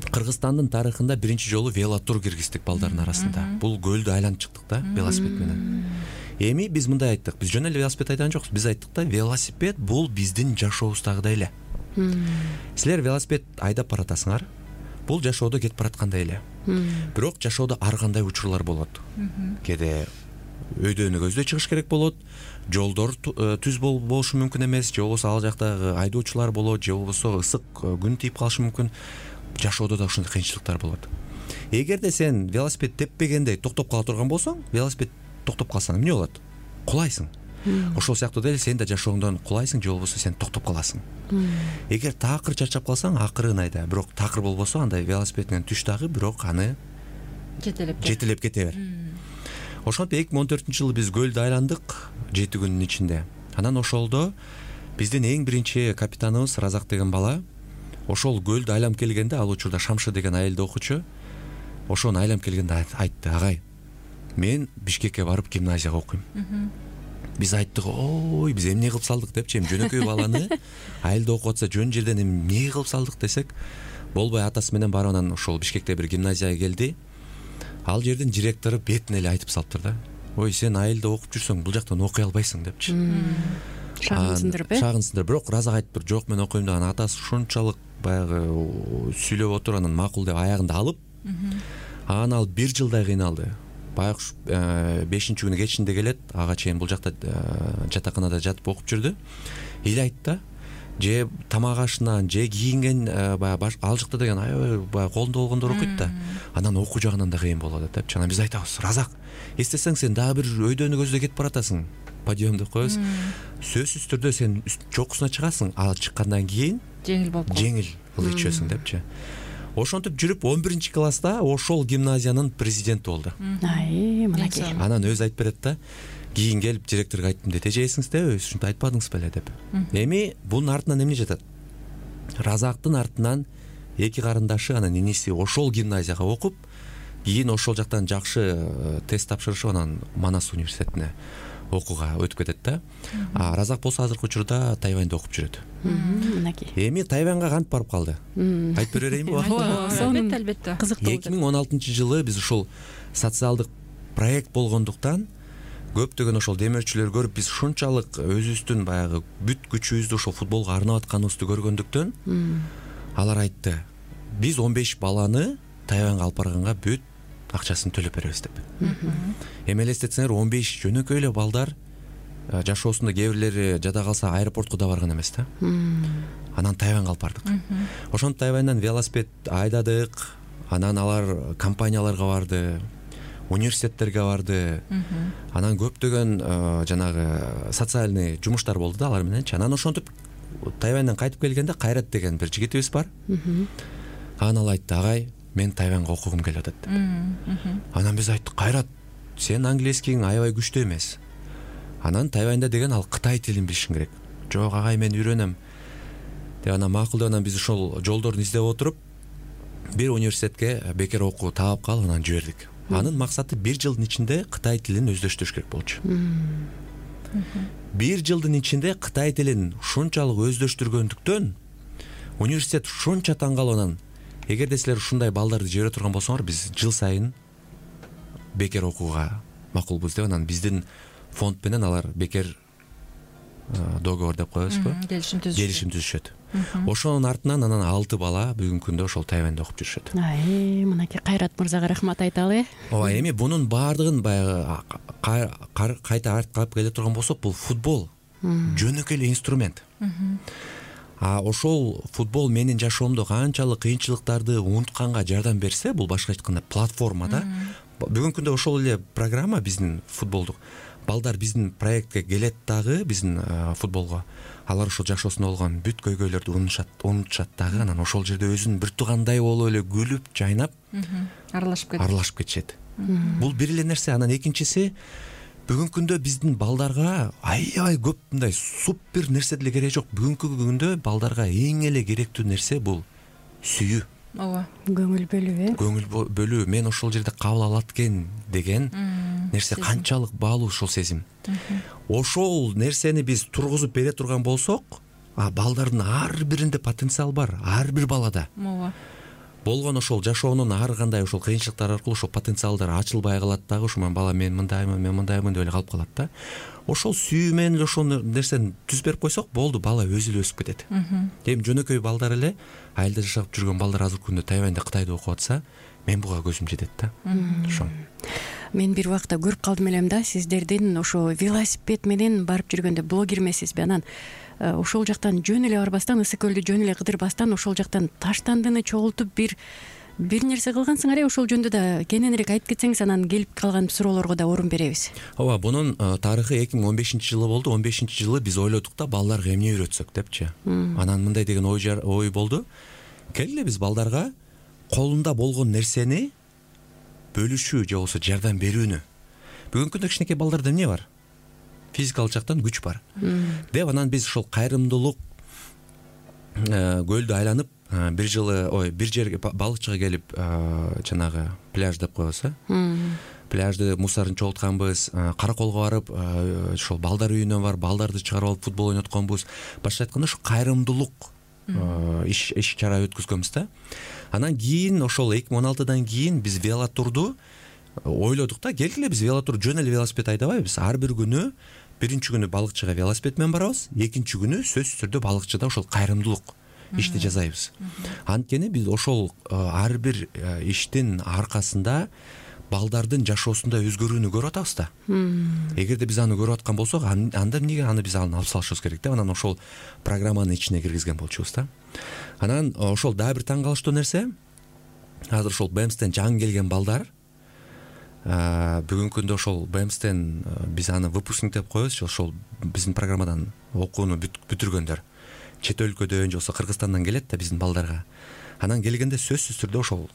Кыргызстандын тарыхында биринчи жолу велотур киргиздик балдардын арасында. Бул көлдү айланып чыктык да, велосипед менен. Эми биз мындай айттык, биз жөн эле велосипед айдаган жокпуз, биз айттык да, велосипед бул биздин жашообуздагыдай эле. Силер велосипед айдап баратасыңар, бул жашоодо кетип бараткандай эле. Бирок жашоодо ар кандай учурлар болот. Кээде өйдөнү көздөй чыгыш керек болот, жолдор түз болушу мүмкүн эмес, же болбосо ал жактагы айдоочулар болот, же болбосо ысык күн тийип калышы мүмкүн. Жашоодо да ушундай кыйынчылыктар болот. эгерде сен велосипед теппегендей токтоп кала турган болсоң, велосипед токтоп калсаң эмне болот? Кулайсың. Ошол сыяктуу деле сен да жашооңдон кулайсың же болбосо сен токтоп каласың. Эгер такыр чарчап калсаң, акырын айда, бирок такыр болбосо андай велосипедиңен түш дагы, бирок аны жетелеп жетелеп кете бер. Ошентип эки миң он төртүнчү жылы биз көлдү айландык жети күнүн ичинде. Анан ошолдо биздин эң биринчи капитаныбыз Разак деген бала ошол көлдү айланып келгенде, ал учурда Шамшы деген айылда окучу, ошону айланып келгенде айтты: агай, мен Бишкекке барып гимназияга окуйм. Биз айттык: ой, биз эмне кылып салдык депчи, эми жөнөкөй баланы айылда окуп атса жөн жерден эмне кылып салдык десек, болбой атасы менен барып анан ошол Бишкекте бир гимназияга келди. Ал жердин директору бетине эле айтып салыптыр да: ой, сен айылда окуп жүрсөң бул жактан окуй албайсың депчи. Шагынсындырып, э? Шагынсындырып, бирок Разак айтыптыр: жок, мен окуйм деген. Атасы ушунчалык баягы сүйлөп отуруп анан макул деп аягында алып, анан ал бир жылдай кыйналды. Баягы бешинчи күнү кечинде келет, ага чейин бул жакта жатаканада жатып окуп жүрдү. Эл айтты: же тамак ашынан, же кийинген баягы ал жакта деген аябай баягы колунда болгондор окуйт да. Анан окуу жагынан да кыйын болот депчи. Анан биз айтабыз: Разак, эстесең, сен дагы бир өйдөнү көздөй кетип баратасың. Подъем деп коебуз. Сөзсүз түрдө сен чокусуна чыгасың, ал чыккандан кийин жеңил болуп жеңил кыл ичесиң депчи. Ошентип жүрүп он биринчи класста ошол гимназиянын президенти болду. Ай, мынакей. Анан өзү айтып берет да: кийин келип директорго айттым дейт: эже эсиңизде, ушинтип айтпадыңыз беле деп. Эми бунун артынан эмне жатат? Разактын артынан эки карындашы, анан иниси ошол гимназияга окуп, кийин ошол жактан жакшы тест тапшырышып, анан Манас университетине окууга өтүп кетет да. А Разак болсо азыркы учурда Тайваньда окуп жүрөт. Мынакей. Эми Тайваньга кантип барып калды? Айтып бере берейинби? албетте, албетте. Кызыктуу. эки миң он алтынчы жылы биз ушул социалдык проект болгондуктан көптөгөн ошол демөөрчүлөр көрүп, биз ушунчалык өзүбүздүн баягы бүт күчүбүздү ошол футболго арнап атканыбызды көргөндүктөн алар айтты: биз он беш баланы Тайваньга алып барганга бүт акчасын төлөп беребиз деп. Эми элестетсеңер, он беш жөнөкөй эле балдар жашоосунда кээ бирлери жада калса аэропортко да барган эмес да. Анан Тайваньга алып бардык. Ошонтип Тайваньдан велосипед айдадык, анан алар компанияларга барды, университеттерге барды. Анан көптөгөн жанагы социальный жумуштар болду да алар мененчи. Анан ошентип Тайваньдан кайтып келгенде Кайрат деген бир жигитибиз бар. Анан ал айтты: агай, мен Тайваньга окугум келип атат деп. Анан биз айттык: Кайрат, сен английскиң аябай күчтүү эмес. Анан Тайваньда деген ал Кытай тилин билишиң керек. Жок агай, мен үйрөнөм деп. Анан макул деп, анан биз ошол жолдорун издеп отуруп бир университетке бекер окуу таап калып анан жибердик. Анын максаты бир жылдын ичинде Кытай тилин өздөштүрүш керек болчу. Бир жылдын ичинде Кытай тилин ушунчалык өздөштүргөндүктөн университет ушунча таң калып, анан эгерде силер ушундай балдарды жибере турган болсоңор, биз жыл сайын бекер окууга макулбуз деп, анан биздин фонд менен алар бекер договор деп коебузбу, келишим түзүшөт. Ошонун артынан анан алты бала бүгүнкү күндө ошол Тайваньда окуп жүрүшөт. Ай, мынакей Кайрат мырзага рахмат айталы. Ооба, эми бунун баардыгын баягы кайта артка алып келе турган болсок, бул футбол жөнөкөй эле инструмент. А ошол футбол менин жашоомдо канчалык кыйынчылыктарды унутканга жардам берсе, бул башка айтканда платформада. Бүгүнкү күндө ошол эле программа биздин футболдук балдар биздин проектке келет дагы, биздин футболго. Алар ошол жашоосунда болгон бүт көйгөйлөрдү унутушат, унутушат дагы, анан ошол жерде өзүн бир туугандай болуп эле күлүп, жайнап, аралашып кетет. Аралашып кетишет. Бул бир эле нерсе. Анан экинчиси, бүгүнкү күндө биздин балдарга аябай көп мындай супер нерсе деле кереги жок. Бүгүнкү күндө балдарга эң эле керектүү нерсе бул сүйүү. Ооба. Көңүл бөлүү, э? Көңүл бөлүү, мен ошол жерде кабыл алат экен деген нерсе канчалык баалуу ошол сезим. Ошол нерсени биз тургузуп бере турган болсок, а балдардын ар биринде потенциал бар, ар бир балада. Ооба. Болгон ошол жашоонун ар кандай ошол кыйынчылыктар аркылуу ошол потенциалдар ачылбай калат дагы. Ошо бала мен мындаймын, мен мындаймын деп эле калып калат да. Ошол сүйүү менен эле ошол нерсени түзүп берип койсок, болду, бала өзү эле өсүп кетет. Эми жөнөкөй балдар эле, айылда жашап жүргөн балдар азыркы күндө Тайваньда, Кытайда окуп атса, мен буга көзүм жетет да. Ошо. Мен бир убакта көрүп калдым элем да, сиздердин ошо велосипед менен барып жүргөндө, блогер эмессизби? Анан ошол жактан жөн эле барбастан, Ысык көлдү жөн эле кыдырбастан, ошол жактан Таштандыны чогултуп бир бир нерсе кылгансыңар э ошол жөнүндө да кененирээк айтып кетсеңиз, анан келип калган суроолорго да орун беребиз. ооба, бунун тарыхы эки миң он бешинчи жылы болду. он бешинчи жылы биз ойлодук да балдарга эмне үйрөтсөк депчи. Анан мындай деген ой ой болду. Келгиле биз балдарга колунда болгон нерсени бөлүшүү же болбосо жардам берүүнү. Бүгүнкү күндө кичинекей балдарда эмне бар? Физикалык жактан күч бар. Деп анан биз ошол кайрымдуулук көлдү айланып бир жылы ой бир жерге балыкчыга келип жанагы пляж деп коебуз э. Пляжды мусорун чогултканбыз, Караколго барып ошол балдар үйүнө барып балдарды чыгарып алып футбол ойнотконбуз. Башкача айтканда ошо кайрымдуулук иш иш чара өткөзгөнбүз да. Анан кийин ошол эки миң он алтыдан кийин биз велотурду ойлодук да, келгиле биз велотур жөн эле велосипед айдабайбыз. Ар бир күнү биринчи күнү балыкчыга велосипед менен барабыз, экинчи күнү сөзсүз түрдө балыкчыда ошол кайрымдуулук ишти жасайбыз. Анткени биз ошол ар бир иштин аркасында балдардын жашоосунда өзгөрүүнү көрүп атабыз да. Эгерде биз аны көрүп аткан болсок, анда эмнеге аны биз алып салышыбыз керек деп анан ошол программанын ичине киргизген болчубуз да. Анан ошол дагы бир таң калыштуу нерсе, азыр ошол БЭМСтен жаңы келген балдар бүгүнкү күндө ошол БЭМСтен биз аны выпускник деп коебуз, ошол биздин программадан окууну бүтүргөндөр чет өлкөдөн же болбосо Кыргызстандан келет да биздин балдарга. Анан келгенде сөзсүз түрдө ошол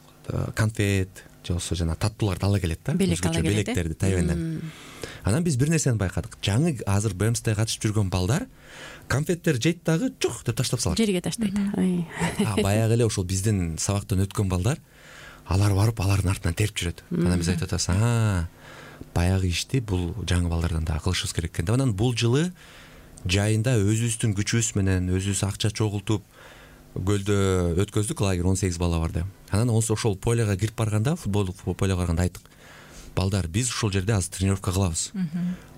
конфет же болбосо жана таттууларды ала келет да, өзгөчө белектерди Тайванден. Анан биз бир нерсени байкадык. Жаңы азыр БЭМСте катышып жүргөн балдар конфеттер жейт дагы жок деп таштап салат. Жерге таштайт. Баягы эле ошол биздин сабактан өткөн балдар алар барып алардын артынан терип жүрөт. Анан биз айтып атабыз, а баягы ишти бул жаңы балдардан дагы кылышыбыз керек экен деп. Анан бул жылы жайында өзүбүздүн күчүбүз менен өзүбүз акча чогултуп көлдө өткөздүк, лагерь он сегиз бала барды. Анан ошол полега кирип барганда, футболдук полега барганда айттык, балдар, биз ушул жерде азыр тренировка кылабыз.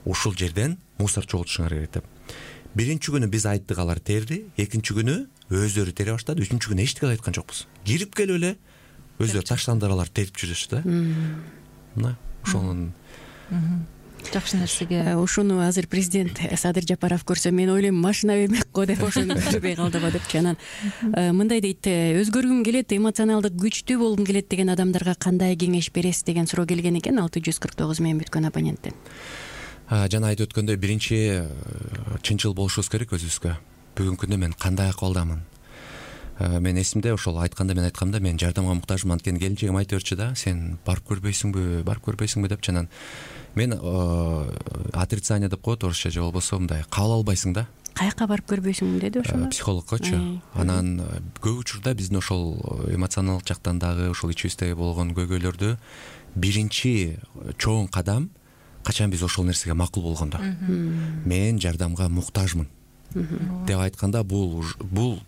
Ушул жерден мусор чогултушуңар керек деп. Биринчи күнү биз айттык, алар терди, экинчи күнү өздөрү тере баштады, үчүнчү күнү эчтеке айткан жокпуз. Кирип келип эле өздөрү таштандыр, алар терип жүрүшү да. Мына ошонун жакшы нерсеге. Ушуну азыр президент Садыр Жапаров көрсө, мен ойлойм машина бермек го деп ошону бүтүрбөй калдыбы депчи. Анан мындай дейт, өзгөргүм келет, эмоционалдык күчтүү болгум келет деген адамдарга кандай кеңеш бересиз деген суроо келген экен алты жүз кырк тогуз менен бүткөн абоненттен. Жана айтып өткөндөй, биринчи чынчыл болушубуз керек өзүбүзгө. Бүгүнкү күндө мен кандай акыбалдамын? Мен эсимде ошол айтканда мен айткамда, мен жардамга муктажмын, анткени келинчегим айтып берчү да, сен барып көрбөйсүңбү, барып көрбөйсүңбү депчи. Анан мен отрицание деп коет орусча, же болбосо мындай кабыл албайсың да. Каяка барып көрбөйсүң деди ошону? Психологкочу. Анан көп учурда биздин ошол эмоционалдык жактан дагы ошол ичибизде болгон көйгөйлөрдү биринчи чоң кадам качан биз ошол нерсеге макул болгондо. Мен жардамга муктажмын деп айтканда, бул бул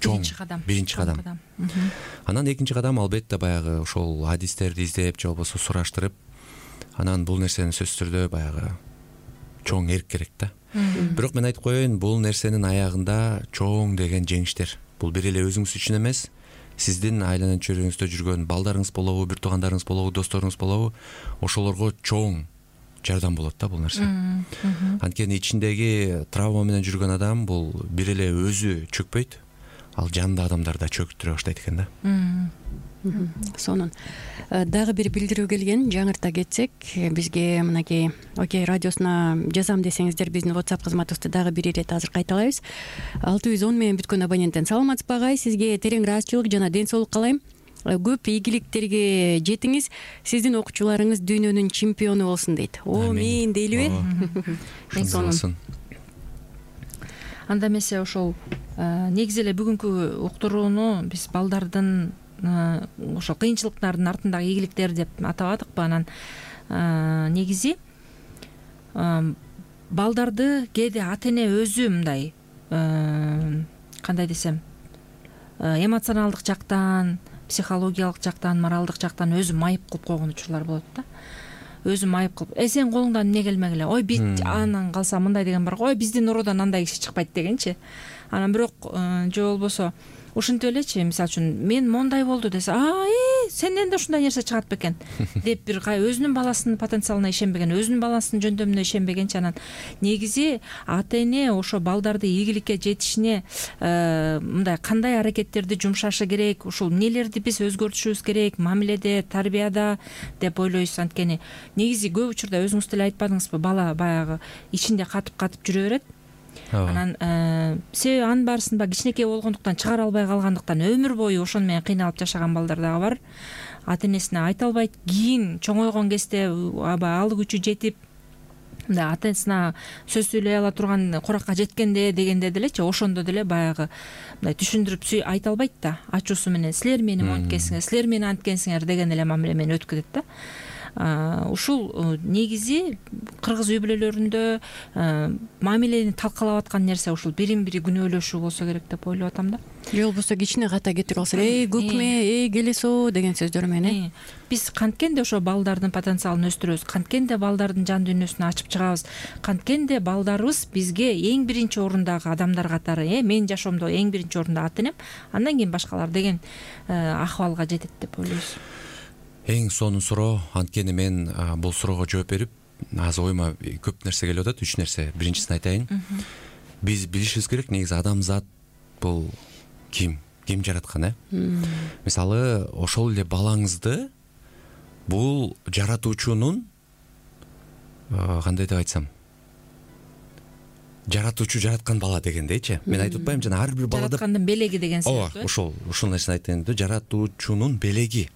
чоң биринчи кадам. Анан экинчи кадам албетте баягы ошол адистерди издеп же болбосо сураштырып, анан бул нерсени сөзсүз түрдө баягы чоң эрк керек да. Бирок мен айтып коеюн, бул нерсенин аягында чоң деген жеңиштер. Бул бир эле өзүңүз үчүн эмес, сиздин айланан чөйрөңүздө жүргөн балдарыңыз болобу, бир туугандарыңыз болобу, досторуңуз болобу, ошолорго чоң жардам болот да бул нерсе. Анткени ичиндеги травма менен жүргөн адам бул бир эле өзү чөкпөйт, ал жанында адамдар да чөктүрө баштайт экен да. Сонун дагы бир билдирүү келген, жаңырта кетсек, бизге мынакей Окей радиосуна жазам десеңиздер, биздин WhatsApp кызматыбызды дагы бир ирет азыр кайталайбыз. алты жүз он менен бүткөн абоненттен: саламатсызбы агай, сизге терең ыраазычылык жана ден соолук каалайм. Көп ийгиликтерге жетиңиз, сиздин окуучуларыңыз дүйнөнүн чемпиону болсун дейт. О, мен дейлиби? Сонун. Анда эмесе ошол негизи эле бүгүнкү уктурууну биз балдардын ошол кыйынчылыктардын артындагы ийгиликтер деп атабадыкпы? Анан негизи балдарды кээде ата эне өзү мындай кандай десем, эмоционалдык жактан, психологиялык жактан, моралдык жактан өзү майып кылып койгон учурлар болот да. Өзү майып кылып, э сен колуңдан эмне келмегиле, ой бит анан калса мындай деген бар го, ой биздин уруудан андай киши чыкпайт дегенчи. Анан бирок же болбосо ушинтип элечи, мисалы үчүн мен мондай болду десе, а э ой сенден да ушундай нерсе чыгат бекен деп бир өзүнүн баласынын потенциалына ишенбеген, өзүнүн баласынын жөндөмүнө ишенбегенчи анан негизи ата эне ошо балдарды ийгиликке жетишине мындай кандай аракеттерди жумшашы керек, ушул эмнелерди биз өзгөртүшүбүз керек мамиледе, тарбияда деп ойлойсуз. Анткени негизи көп учурда өзүңүз деле айтпадыңызбы, бала баягы ичинде катып катып жүрө берет. Анан себеби анын баарысын баягы кичинекей болгондуктан чыгара албай калгандыктан өмүр бою ошону менен кыйналып жашаган балдар дагы бар. Ата энесине айта албайт, кийин чоңойгон кезде аба алы күчү жетип мындай ата энесине сөз сүйлөй ала турган куракка жеткенде дегенде делечи ошондо деле баягы мындай түшүндүрүп айта албайт да, ачуусу менен силер мени монткенсиңер, силер мени анткенсиңер деген эле мамиле менен өткүзөт да. Ушул негизи кыргыз үй бүлөлөрүндө мамилени талкалап аткан нерсе ушул бирин бири күнөөлөшүү болсо керек деп ойлоп атам да. Же болбосо кичине ката кетирип алса, эй көкмө, эй келесо деген сөздөр менен биз канткенде ошо балдардын потенциалын өстүрөбүз, канткенде балдардын жан дүйнөсүн ачып чыгабыз, канткенде балдарыбыз бизге эң биринчи орундагы адамдар катары, э менин жашоомдо эң биринчи орунда ата энем, андан кийин башкалар деген акыбалга жетет деп ойлойбуз. Эң сонун суроо. Анткени мен бул суроого жооп берип, азыр оюма көп нерсе келип атат. Үч нерсе. Биринчисин айтайын. Биз билишибиз керек, негизи адамзат бул ким? Ким жараткан, э? Мисалы, ошол эле балаңызды бул жаратуучунун кандай деп айтсам, жаратуучу жараткан бала дегендейчи. Мен айтып атпайм, жана ар бир балада жараткандын белеги деген сыяктуу. Ооба, ошол, ушул нерсени айтайын, жаратуучунун белеги.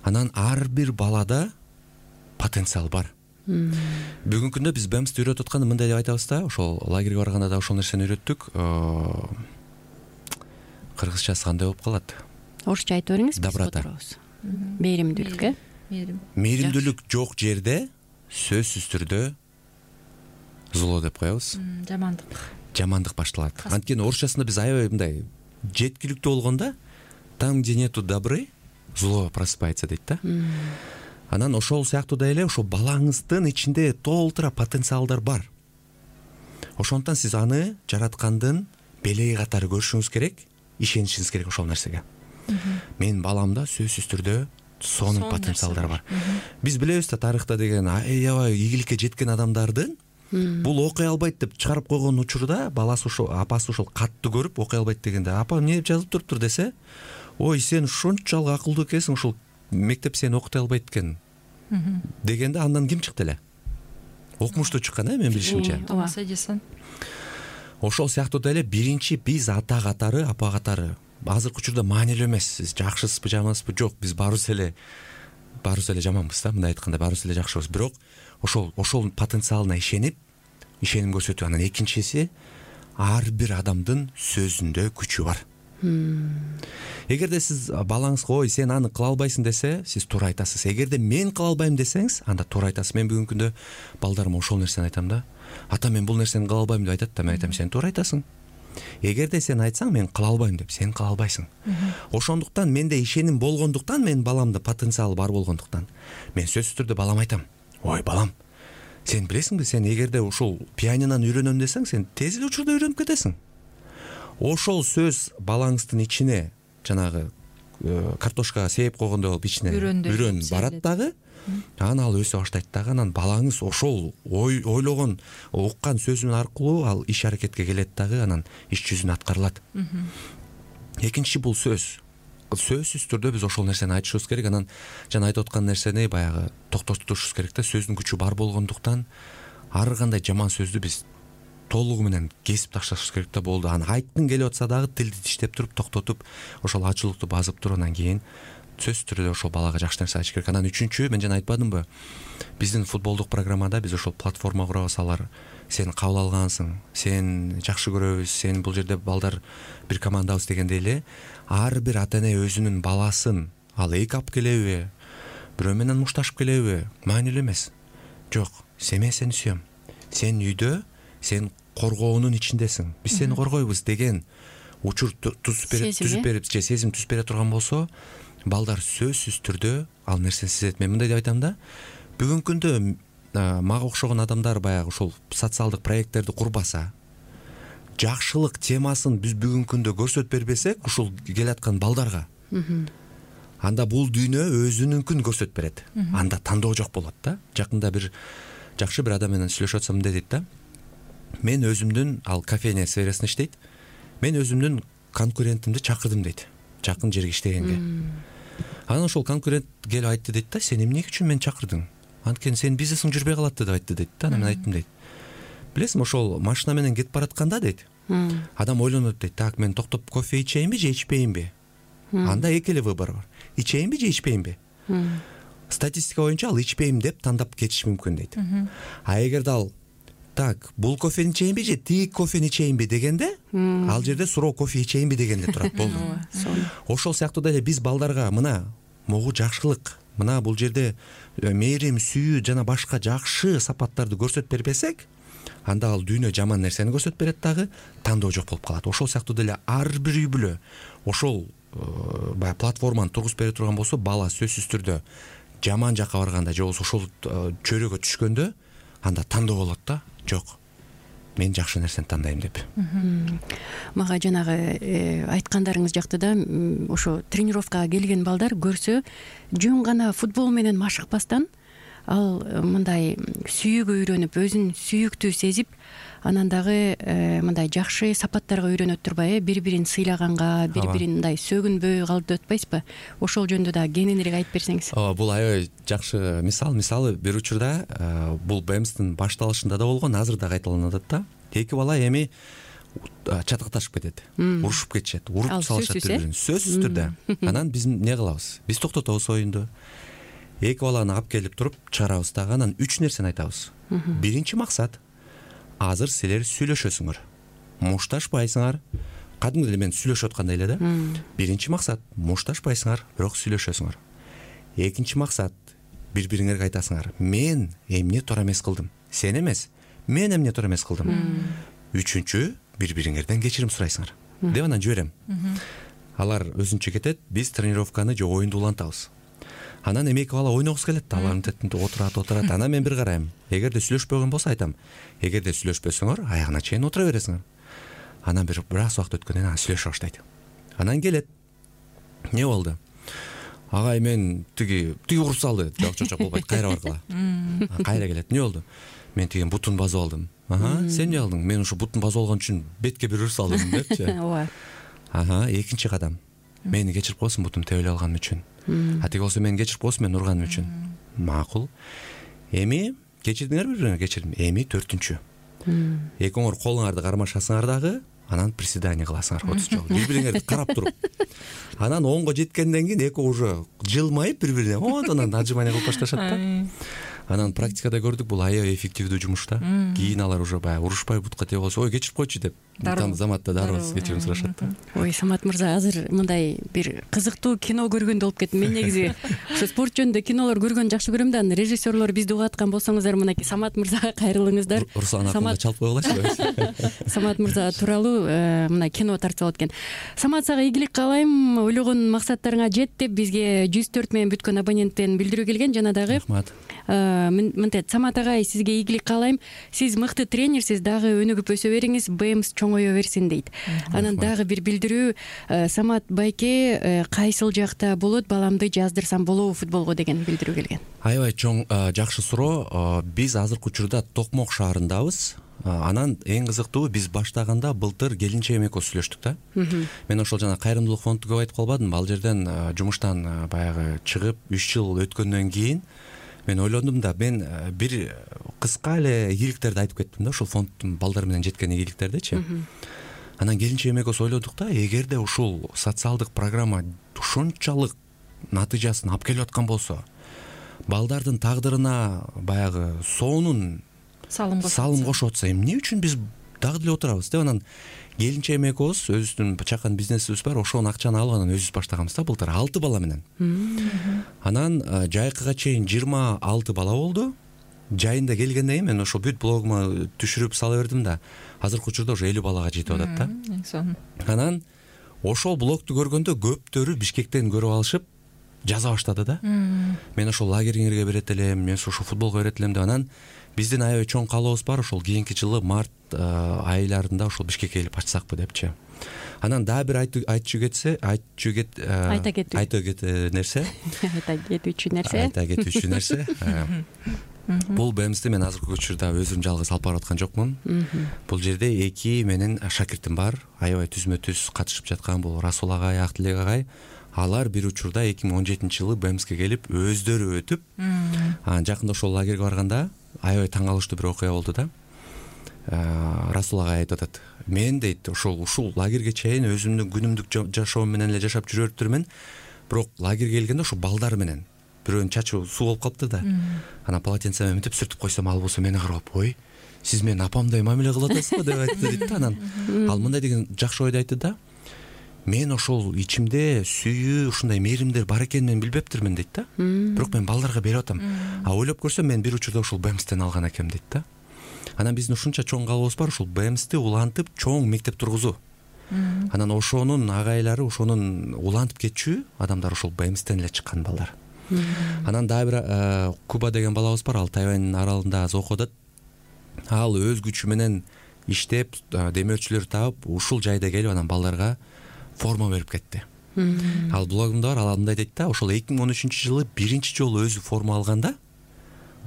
Анан ар бир балада потенциал бар. Бүгүнкү күндө биз бемсти үйрөтүп атканда мындай деп айтабыз да, ошол лагерге барганда да ошол нерсени үйрөттүк. Кыргызчасы кандай болуп калат? Орусча айтып бериңиз. Доброта. Мээримдүүлүк, э? Мээримдүүлүк жок жерде сөзсүз түрдө зло деп коебуз. Жамандык. Жамандык башталат. Анткени орусчасында биз аябай мындай жеткиликтүү болгондо там, где нету добры, зло просыпается дейт да. Анан ошол сыяктуу да эле ошо балаңыздын ичинде толтура потенциалдар бар. Ошондуктан сиз аны жараткандын белеги катары көрүшүңүз керек, ишенишиңиз керек ошол нерсеге. Менин баламда сөзсүз түрдө сонун потенциалдар бар. Биз билебиз да, тарыхта деген аябай ийгиликке жеткен адамдардын бул окуй албайт деп чыгарып койгон учурда баласы ошо апасы ошол катты көрүп окуй албайт дегенде, апа эмне деп жазылып туруптур десе, ой сен ушунчалык акылдуу экенсиң, ушул мектеп сени окутой албайт экен дегенде андан ким чыкты эле? Окумуштуу чыккан, э, мен билишимче. Томас Эдисон. Ошол сыяктуу да эле биринчи биз ата катары, апа катары азыркы учурда маанилүү эмес. Сиз жакшысызбы, жамансызбы? Жок, биз баарыбыз эле баарыбыз эле жаманбыз да, мындай айтканда баарыбыз эле жакшыбыз. Бирок ошол ошол потенциалына ишенип, ишеним көрсөтүү. Анан экинчиси, ар бир адамдын сөзүндө күчү бар. Эгерде сиз балаңызга ой сен аны кыла албайсың десе, сиз туура айтасыз. Эгерде мен кыла албайм десеңиз, анда туура айтасыз. Мен бүгүнкү күндө балдарыма ошол нерсени айтам да. Ата мен бул нерсени кыла албайм деп айтат да, мен айтам, сен туура айтасың. Эгерде сен айтсаң мен кыла албайм деп, сен кыла албайсың. Ошондуктан менде ишеним болгондуктан, менин баламда потенциал бар болгондуктан, мен сөзсүз түрдө балам айтам. Ой балам, сен билесиңби, сен эгерде ушул пианинону үйрөнөм десең, сен тез эле учурда үйрөнүп кетесиң. Ошол сөз балаңыздын ичине жанагы картошка сээп койгондой болуп ичине үрөн барат дагы. Анан ал өсө баштайт дагы. Анан балаңыз ошол ой ойлогон, уккан сөзүн аркылуу ал иш аракетке келет дагы. Анан иш жүзүнө аткарылат. Экинчи бул сөз. Сөзсүз түрдө биз ошол нерсени айтышыбыз керек. Анан жана айтып аткан нерсени баягы токтотушубуз керек да. Сөздүн күчү бар болгондуктан ар кандай жаман сөздү биз толугу менен кесип ташташыбыз керек да, болду. Аны айткың келип атса дагы тилди диштеп туруп, токтотуп, ошол ачуулукту базып туруп, анан кийин сөзсүз түрдө ошол балага жакшы нерсе айтыш керек. Анан үчүнчү, мен жана айтпадымбы, биздин футболдук программада биз ошол платформа курабыз. Алар сен кабыл алгансың, сен жакшы көрөбүз, сен бул жерде балдар бир командабыз дегендей эле, ар бир ата эне өзүнүн баласын ал эки алып келеби, бирөө менен мушташып келеби, маанилүү эмес. Жок, мен сени сүйөм. Сен үйдө, сен коргоонун ичиндесиң. Биз сени коргойбуз деген учур түзүп берип, түзүп берип, же сезим түзүп бере турган болсо, балдар сөзсүз түрдө ал нерсени сезет. Мен мындай деп айтам да, бүгүнкү күндө мага окшогон адамдар баягы ушул социалдык проекттерди курбаса, жакшылык темасын биз бүгүнкү күндө көрсөтүп бербесек, ушул келаткан балдарга анда бул дүйнө өзүнүнкүн көрсөтүп берет. Анда тандоо жок болот да. Жакында бир жакшы бир адам менен сүйлөшүп атсам мындай дейт да. Мен өзүмдүн, ал кофейня сферасында иштейт. Мен өзүмдүн конкурентимди чакырдым дейт. Жакын жерге иштегенге. Анан ошол конкурент келип айтты дейт да, сен эмне үчүн мени чакырдың? Анткени сенин бизнесиң жүрбөй калат деп айтты дейт да. Анан мен айттым дейт. Билесиңби, ошол машина менен кетип баратканда дейт. Адам ойлонот дейт, так, мен токтоп кофе ичейинби же ичпейинби? Анда эки эле выбор бар. Ичейинби же ичпейинби? Статистика боюнча ал ичпейм деп тандап кетиши мүмкүн дейт. А эгерде ал так, бул кофени ичейинби же тиги кофени ичейинби дегенде, ал жерде суроо кофе ичейинби дегенде турат, болду. Ошол сыяктуу деле биз балдарга мына могу жакшылык, мына бул жерде мээрим, сүйүү жана башка жакшы сапаттарды көрсөтүп бербесек, анда ал дүйнө жаман нерсени көрсөтүп берет дагы, тандоо жок болуп калат. Ошол сыяктуу деле ар бир үй бүлө ошол баягы платформаны тургузуп бере турган болсо, бала сөзсүз түрдө жаман жакка барганда же болбосо ошол чөйрөгө түшкөндө анда тандоо болот да. Жок, мен жакшы нерсени тандайм деп. Мага жанагы айткандарыңыз жакты да. Ошо тренировкага келген балдар көрсө, жөн гана футбол менен машыкпастан, ал мындай сүйүүгө үйрөнүп, өзүн сүйүктүү сезип, анан дагы мындай жакшы сапаттарга үйрөнөт турбайбы, бири-бирин сыйлаганга, бири-бирин мындай сөгүнбөй калып деп атпайсызбы? Ошол жөнүндө да кененирээк айтып берсеңиз. Ооба, бул аябай жакшы мисал. Мисалы, бир учурда бул бэмстин башталышында да болгон, азыр да кайталанып атат да. Эки бала эми чатакташып кетет, урушуп кетишет, уруп салышат бири-бирин. Сөзсүз түрдө. Анан биз эмне кылабыз? Биз токтотобуз оюнду. Эки баланы алып келип туруп чыгарабыз дагы, анан үч нерсени айтабыз. Биринчи максат, азыр силер сүйлөшөсүңөр, мушташпайсыңар. Кадимки эле мен сүйлөшүп аткандай эле да. Биринчи максат, мушташпайсыңар, бирок сүйлөшөсүңөр. Экинчи максат, бири-бириңерге айтасыңар, мен эмне туура эмес кылдым, сен эмес, мен эмне туура эмес кылдым. Үчүнчү, бири-бириңерден кечирим сурайсыңар деп анан жиберем. Алар өзүнчө кетет, биз тренировканы же оюнду улантабыз. Анан эми эки бала ойногусу келет, алардын тетинде отурат, отурат. Анан мен бир карайм. Эгерде сүйлөшпөгөн болсо айтам, эгерде сүйлөшпөсөңөр, аягына чейин отура бересиңер. Анан бир бир аз убакыт өткөндөн кийин сүйлөшө баштайт. Анан келет. Эмне болду? Агай, мен тиги тиги уруп салды. Жок, жок, жок болбойт. Кайра баргыла. Кайра келет. Эмне болду? Мен тиги бутун басып алдым. Ага, сен эмне алдың? Мен ушу бутун басып алган үчүн бетке бир уруп салдым депчи. Ооба. Ага, экинчи кадам. Мени кечирип коесуң бутун тебелеп алганым үчүн. А тиги болсо мени кечирип коесуң мен урганым үчүн. Макул. Эми кечирдиңер бири-бириңерге, кечирдим. Эми төртүнчү. Экөөңөр колуңарды кармашасыңар дагы, анан приседание кыласыңар отуз жолу. Бири-бириңерди карап туруп. Анан онго жеткенден кийин экөө уже жылмайып бири-бирине онтон отжимание кылып башташат да. Анан практикада көрдүк, бул аябай эффективдүү жумуш да. Кийин алар уже баягы урушпай бутка тебе болсо, ой, кечирип койчу деп, там заматта дароо кечирим сурашат да. Ой, Самат мырза, азыр мындай бир кызыктуу кино көргөндө болуп кеттим. Мен негизи ошо спорт жөнүндө кинолор көргөндү жакшы көрөм да. Режиссерлор бизди угуп аткан болсоңуздар, мынакей Самат мырзага кайрылыңыздар. Руслан акында чалып кой болачу. Самат мырза тууралуу мына кино тартып алат экен. Самат, сага ийгилик каалайм. Ойлогон максаттарыңа жет деп бизге жүз төрт менен бүткөн абоненттен билдирүү келген. Жана дагы рахмат. Мынтет, Самат агай, сизге ийгилик каалайм. Сиз мыкты тренерсиз, дагы өнүгүп өсө бериңиз, бэмс чоңое берсин дейт. Анан дагы бир билдирүү, Самат байке кайсыл жакта болот, баламды жаздырсам болобу футболго деген билдирүү келген. Аябай чоң, жакшы суроо. Биз азыркы учурда Токмок шаарындабыз. Анан эң кызыктуу, биз баштаганда былтыр келинчегим экөөбүз сүйлөштүк да. Мен ошол жана кайрымдуулук фонду көп айтып калбадым. Ал жерден жумуштан баягы чыгып үч жыл өткөндөн кийин мен ойлондум да, мен бир кыска эле ийгиликтерди айтып кеттим да, ошол фонддун балдар менен жеткен ийгиликтердичи. Анан келинчегим экөөбүз ойлодук да, эгерде ушул социалдык программа ушунчалык натыйжасын алып келип аткан болсо, балдардын тагдырына баягы сонун салым кошуп атса, эмне үчүн биз дагы деле отурабыз деп, анан келинчегим экөөбүз өзүбүздүн чакан бизнесибиз бар, ошонун акчаны алып анан өзүбүз баштаганбыз да былтыр алты бала менен. Анан жайкыга чейин жыйырма алты бала болду. Жайында келгенден кийин мен ошол бүт блогума түшүрүп сала бердим да, азыркы учурда уже элүү балага жетип атат да. Анан ошол блогду көргөндө көптөрү Бишкектен көрүп алышып жаза баштады да. Мен ошол лагериңерге берет элем, мен ошол футболго берет элем деп. Анан биздин аябай чоң каалообуз бар, ошол кийинки жылы март айларында ошол Бишкекке келип ачсакпы депчи. Анан дагы бир айтчу кетсе, айтчу кет айта кетүү айта кетүү нерсе. Айта кетүүчү нерсе. Айта кетүүчү нерсе. Бул БМСти мен азыркы учурда өзүм жалгыз алып барып аткан жокмун. Бул жерде эки менин шакиртим бар. Аябай түзмө түз катышып жаткан бул Расул агай, Актилек агай. Алар бир учурда эки миң он жетинчи жылы БМСке келип өздөрү өтүп, анан жакында ошол лагерге барганда аябай таң калыштуу бир окуя болду да. Расул агай айтып атат: "Мен дейт, ошол ушул лагерге чейин өзүмдүн күнүмдүк жашоом менен эле жашап жүрөптүрмүн, бирок лагерге келгенде ошо балдар менен бирөөнүн чачы суу болуп калыптыр да. Анан полотенце менен мынтип сүртүп койсом, ал болсо мени карап, ой, сиз менин апамдай мамиле кылып атасыз го деп айтты дейт да. Анан ал мындай деген жакшы ойду айтты да: "Мен ошол ичимде сүйүү, ушундай мээримдер бар экенин мен билбептирмин" дейт да. Бирок мен балдарга берип атам. А ойлоп көрсөм мен бир учурда ошол БМСтен алган экем дейт да. Анан биздин ушунча чоң каалообуз бар, ушул БМСти улантып чоң мектеп тургузуу. Анан ошонун агайлары, ошонун улантып кетчү адамдар ошол БМСтен эле чыккан балдар. Анан дагы бир Куба деген балабыз бар, ал Тайвань аралында аз окуп атат. Ал өз күчү менен иштеп, демөөрчүлөр таап, ушул жайда келип анан балдарга форма берип кетти. Ал блогунда бар, ал мындай дейт да: ошол эки миң он үчүнчү жылы биринчи жолу өзү форма алганда,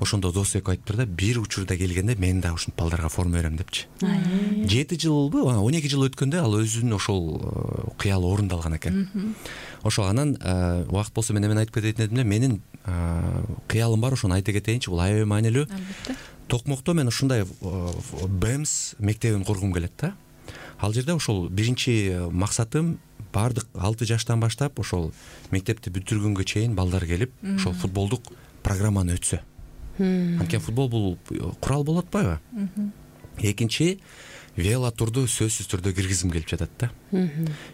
ошондо дос экөө айтыптыр да: "Бир учурда келгенде мен да ушинтип балдарга форма берем" депчи. жети жылбы, он эки жыл өткөндө ал өзүнүн ошол кыялы орундалган экен. Ошол анан убакыт болсо мен эмен айтып кететін эдим эле, менин кыялым бар, ошону айта кетейинчи, бул аябай маанилүү. Албетте. Токмокто мен ушундай БМС мектебин кургум келет да. Ал жерде ошол биринчи максатым баардык алты жаштан баштап ошол мектепти бүтүргөнгө чейин балдар келип, ошол футболдук программаны өтсө. Анткени футбол бул курал болуп атпайбы? Экинчи, велотурду сөзсүз түрдө киргизим келип жатат да.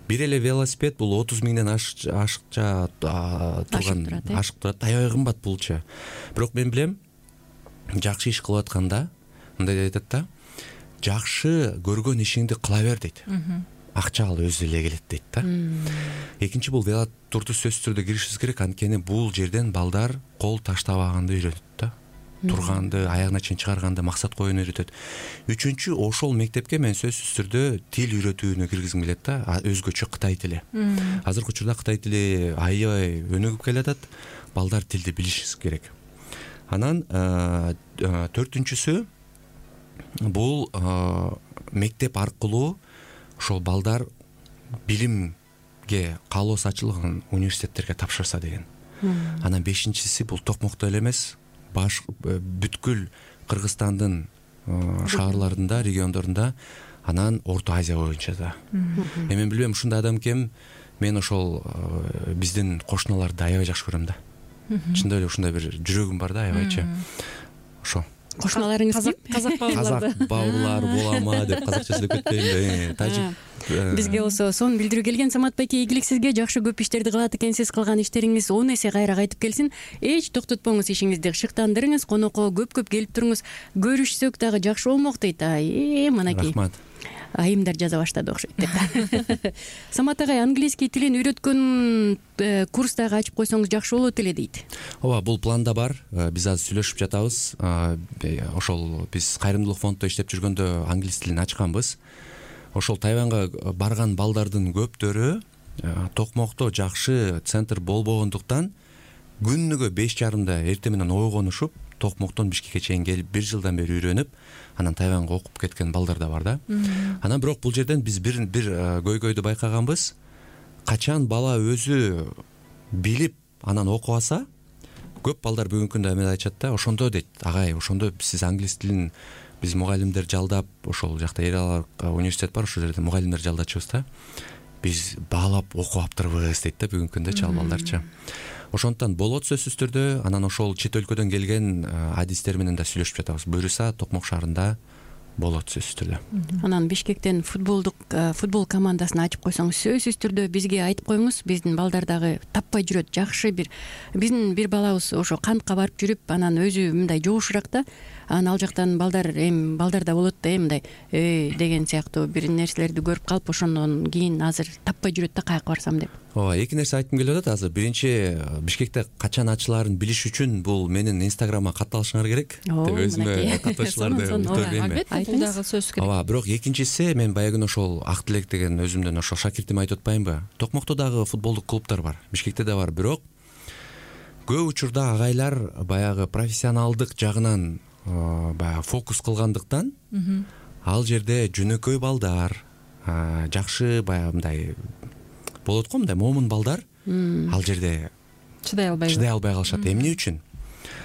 Бир эле велосипед бул отуз миңден ашыкча турган, ашык турат, аябай кымбат булчу. Бирок мен билем, жакшы иш кылып атканда мындай айтат да: "Жакшы көргөн ишиңди кыла бер" дейт. Акча ал өзү эле келет дейт да. Экинчи, бул велотурду сөзсүз түрдө киришибиз керек, анткени бул жерден балдар кол таштабаганды үйрөнөт да. Турганды, аягына чейин чыгарганды, максат коюуну үйрөтөт. Үчүнчү, ошол мектепке мен сөзсүз түрдө тил үйрөтүүнү киргизим келет да, өзгөчө Кытай тили. Азыркы учурда Кытай тили аябай өнүгүп келатат, балдар тилди билиши керек. Анан төртүнчүсү, бул мектеп аркылуу ошол балдар билимге каалоосу ачылган университеттерге тапшырса деген. Анан бешинчиси, бул Токмокто эле эмес, баш бүткүл Кыргызстандын шаарларында, региондорунда, анан Орто Азия боюнча да. Мен билбейм, ушундай адам кем, мен ошол биздин кошуналарды аябай жакшы көрөм да. Чындап эле ушундай бир жүрөгүм бар да, аябайча. Ошо. Кошуналарыңыз ким? Казак бауырларды. Казак бауырлар болама деп казакча сүйлөп кетпейинби? Тажик. Бизге болсо сонун билдирүү келген. Самат байке, ийгилик сизге, жакшы көп иштерди кылат экенсиз. Кылган иштериңиз он эсе кайра кайтып келсин. Эч токтотпоңуз ишиңизди, шыктандырыңыз, конокко көп-көп келип туруңуз. Көрүшсөк дагы жакшы болмок дейт. Ай, мынакей. Рахмат. Айымдар жаза баштады окшойт деп. Самат агай, английский тилин үйрөткөн курс дагы ачып койсоңуз жакшы болот эле дейт. Ооба, бул планда бар. Биз азыр сүйлөшүп жатабыз. Ошол биз кайрымдуулук фонддо иштеп жүргөндө англис тилин ачканбыз. Ошол Тайванга барган балдардын көптөрү Токмокто жакшы центр болбогондуктан күнүгө беш жарымда эртең менен ойгонушуп, Токмоктон Бишкекке чейин келип бир жылдан бери үйрөнүп, анан Тайванга окуп кеткен балдар да бар да. Анан бирок бул жерден биз бир бир көйгөйдү байкаганбыз. Качан бала өзү билип анан окуп алса, көп балдар бүгүнкү күндө эме айтышат да, ошондо дейт: "Агай, ошондо сиз англис тилин биз мугалимдер жалдап, ошол жакта Эр университет бар, ошол жерде мугалимдер жалдачубыз да. Биз баалап окуп аптырбыз" дейт да бүгүнкү күндө чал балдарча. Ошондуктан болот сөзсүз түрдө. Анан ошол чет өлкөдөн келген адистер менен да сүйлөшүп жатабыз. Буюрса Токмок шаарында болот сөзсүз түрдө. Анан Бишкектен футболдук футбол командасын ачып койсоңуз сөзсүз түрдө бизге айтып коюңуз. Биздин балдар дагы таппай жүрөт. Жакшы бир биздин бир балабыз ошо кантка барып жүрүп, анан өзү мындай жоошураак да. Анан ал жактан балдар эми балдарда болот да, эми мындай эй деген сыяктуу бир нерселерди көрүп калып, ошондон кийин азыр таппай жүрөт да, каяка барсам деп. ооба, эки нерсе айткым келип атат азыр. Биринчи, Бишкекте качан ачылаарын билиш үчүн бул менин инстаграмга катталышыңар керек деп өзүмө каттоочуларды утур берейинби? Албетте, бул дагы сөзсүз керек. Ооба, бирок экинчиси, мен баягы күнү ошол Ак Тилек деген өзүмдүн ошол шакиртиме айтып атпаймынбы? Токмокто дагы футболдук клубдар бар, Бишкекте да бар, бирок көп учурда агайлар баягы профессионалдык жагынан баягы фокус кылгандыктан ал жерде жөнөкөй балдар, жакшы баягы мындай болот го, мындай момун балдар ал жерде чыдай албай чыдай албай калышат. Эмне үчүн?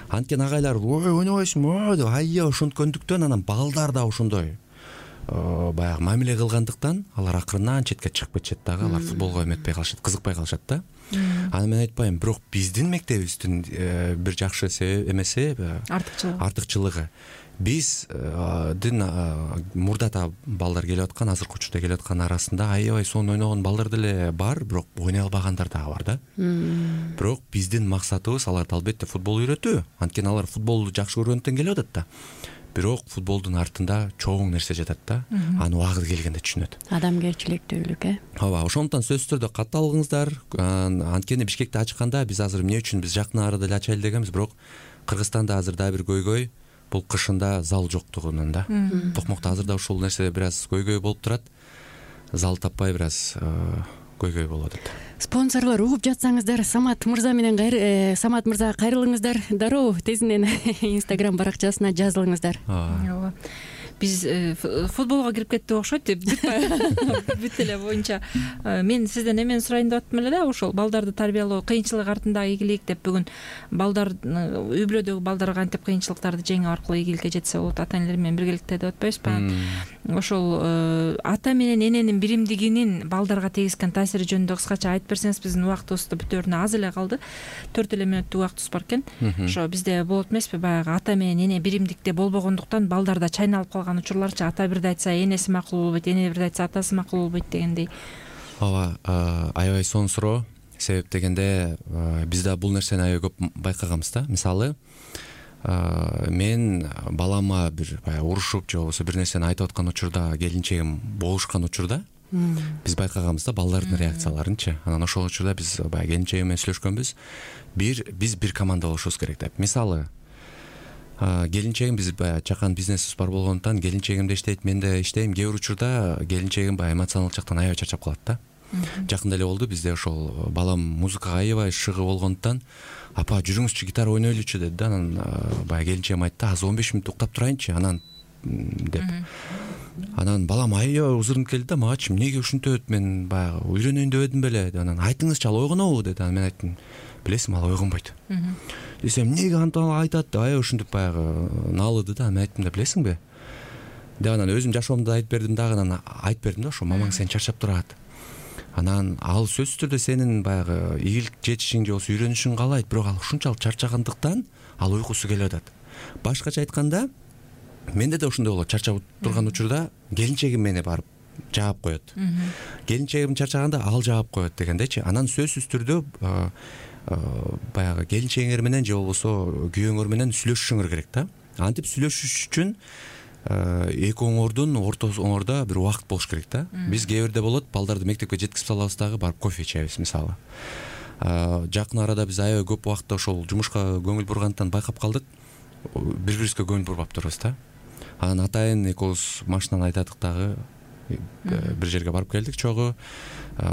Анткени агайлар ой ойнобойсуңбу деп айя ошонткөндүктөн анан балдар да ошондой баягы мамиле кылгандыктан алар акырындан четке чыгып кетишет дагы, алар футболго эметпей калышат, кызыкпай калышат да. Аны мен айтпайм, бирок биздин мектебибиздин бир жакшы эмеси артыкчылыгы артыкчылыгы биздин мурдата балдар келип аткан, азыркы учурда келип аткан арасында аябай сонун ойногон балдар деле бар, бирок ойной албагандар дагы бар да. Бирок биздин максатыбыз аларды албетте футбол үйрөтүү, анткени алар футболду жакшы көргөндүктөн келип атат да. Бирок футболдун артында чоң нерсе жатат да, аны убагыты келгенде түшүнөт. Адамгерчиликтүүлүк, э? Ооба, ошондуктан сөзсүз түрдө катталыңыздар. Анткени Бишкекти ачканда биз азыр эмне үчүн биз жакын арада эле ачайлы дегенбиз, бирок Кыргызстанда азыр дагы бир көйгөй бул кышында зал жоктугунан да. Токмокто азыр да ушул нерсе бир аз көйгөй болуп турат. Зал таппай бир аз көйгөй болуп атат. Спонсорлор угуп жатсаңыздар, Самат мырза менен Самат мырза кайрылыңыздар. Дароо тезинен Инстаграм баракчасына жазылыңыздар. Ооба. Биз футболго кирип кеттик окшойт деп бүт эле боюнча мен сизден эмени сурайын деп аттым эле да, ошол балдарды тарбиялоо кыйынчылык артында ийгилик деп бүгүн балдар үй бүлөдөгү балдар кантип кыйынчылыктарды жеңүү аркылуу ийгиликке жетсе болот, ата энелер менен биргеликте деп атпайбызбы? Ошол ата менен эненин биримдигинин балдарга тийгизген таасири жөнүндө кыскача айтып берсеңиз, биздин убактыбыз бүтөөрүнө аз эле калды. төрт эле мүнөттүк убактыбыз бар экен. Ошо бизде болот эмеспи, баягы ата менен эне биримдикте болбогондуктан балдарда чайналып калган учурларчы, ата бирди айтса энеси макул болбойт, эне бирди айтса атасы макул болбойт дегендей. Ооба, аябай сонун суроо. Себеп дегенде биз да бул нерсени аябай көп байкаганбыз да. Мисалы, мен балама бир баягы урушуп же болбосо бир нерсени айтып аткан учурда, келинчегим болушкан учурда биз байкаганбыз да балдардын реакцияларынчы. Анан ошол учурда биз баягы келинчегим менен сүйлөшкөнбүз. Бир биз бир команда болушубуз керек деп. Мисалы, келинчегим, биз баягы чакан бизнесибиз бар болгондуктан келинчегим да иштейт, мен да иштейм. Кээ бир учурда келинчегим баягы эмоционалдык жактан аябай чарчап калат да. Жакында эле болду, бизде ошол балам музыкага аябай шыгы болгондуктан апа жүрүңүзчү гитара ойнойлучу деди да. Анан баягы келинчегим айтты, азыр он беш мүнөт уктап турайынчы анан деп. Анан балам аябай узурунуп келди да, магачы эмнеге ушинтет, мен баягы үйрөнөйүн дебедим беле. Анан айтыңызчы, ал ойгонобу деди. Анан мен айттым, билесиңби, ал ойгонбойт десем, эмнеге антип айтат деп аябай ушинтип баягы наалыды да. Мен айттым да, билесиңби деп, анан өзүм жашоомду айтып бердим дагы. Анан айтып бердим да, ошо мамаң сени чарчап турат. Анан ал сөзсүз түрдө сенин баягы ийгилик жетишиң же болбосо үйрөнүшүң каалайт, бирок ал ушунчалык чарчагандыктан ал уйкусу келип атат. Башкача айтканда, менде да ошондой болот. Чарчап турган учурда келинчегим мени барып жаап коет. Келинчегим чарчаганда ал жаап коет дегендейчи. Анан сөзсүз түрдө баягы келинчегиңер менен же болбосо күйөөңөр менен сүйлөшүшүңөр керек да. Антип сүйлөшүш үчүн экөөңөрдүн ортосуңордо бир убакыт болуш керек да. Биз кээ бирде болот, балдарды мектепке жеткизип салабыз дагы, барып кофе ичебиз мисалы. Жакын арада биз аябай көп убакытта ошол жумушка көңүл бургандыктан байкап калдык, бири-бирибизге көңүл бурбаптырбыз да. Анан атайын экөөбүз машинаны айдадык дагы, бир жерге барып келдик чогуу,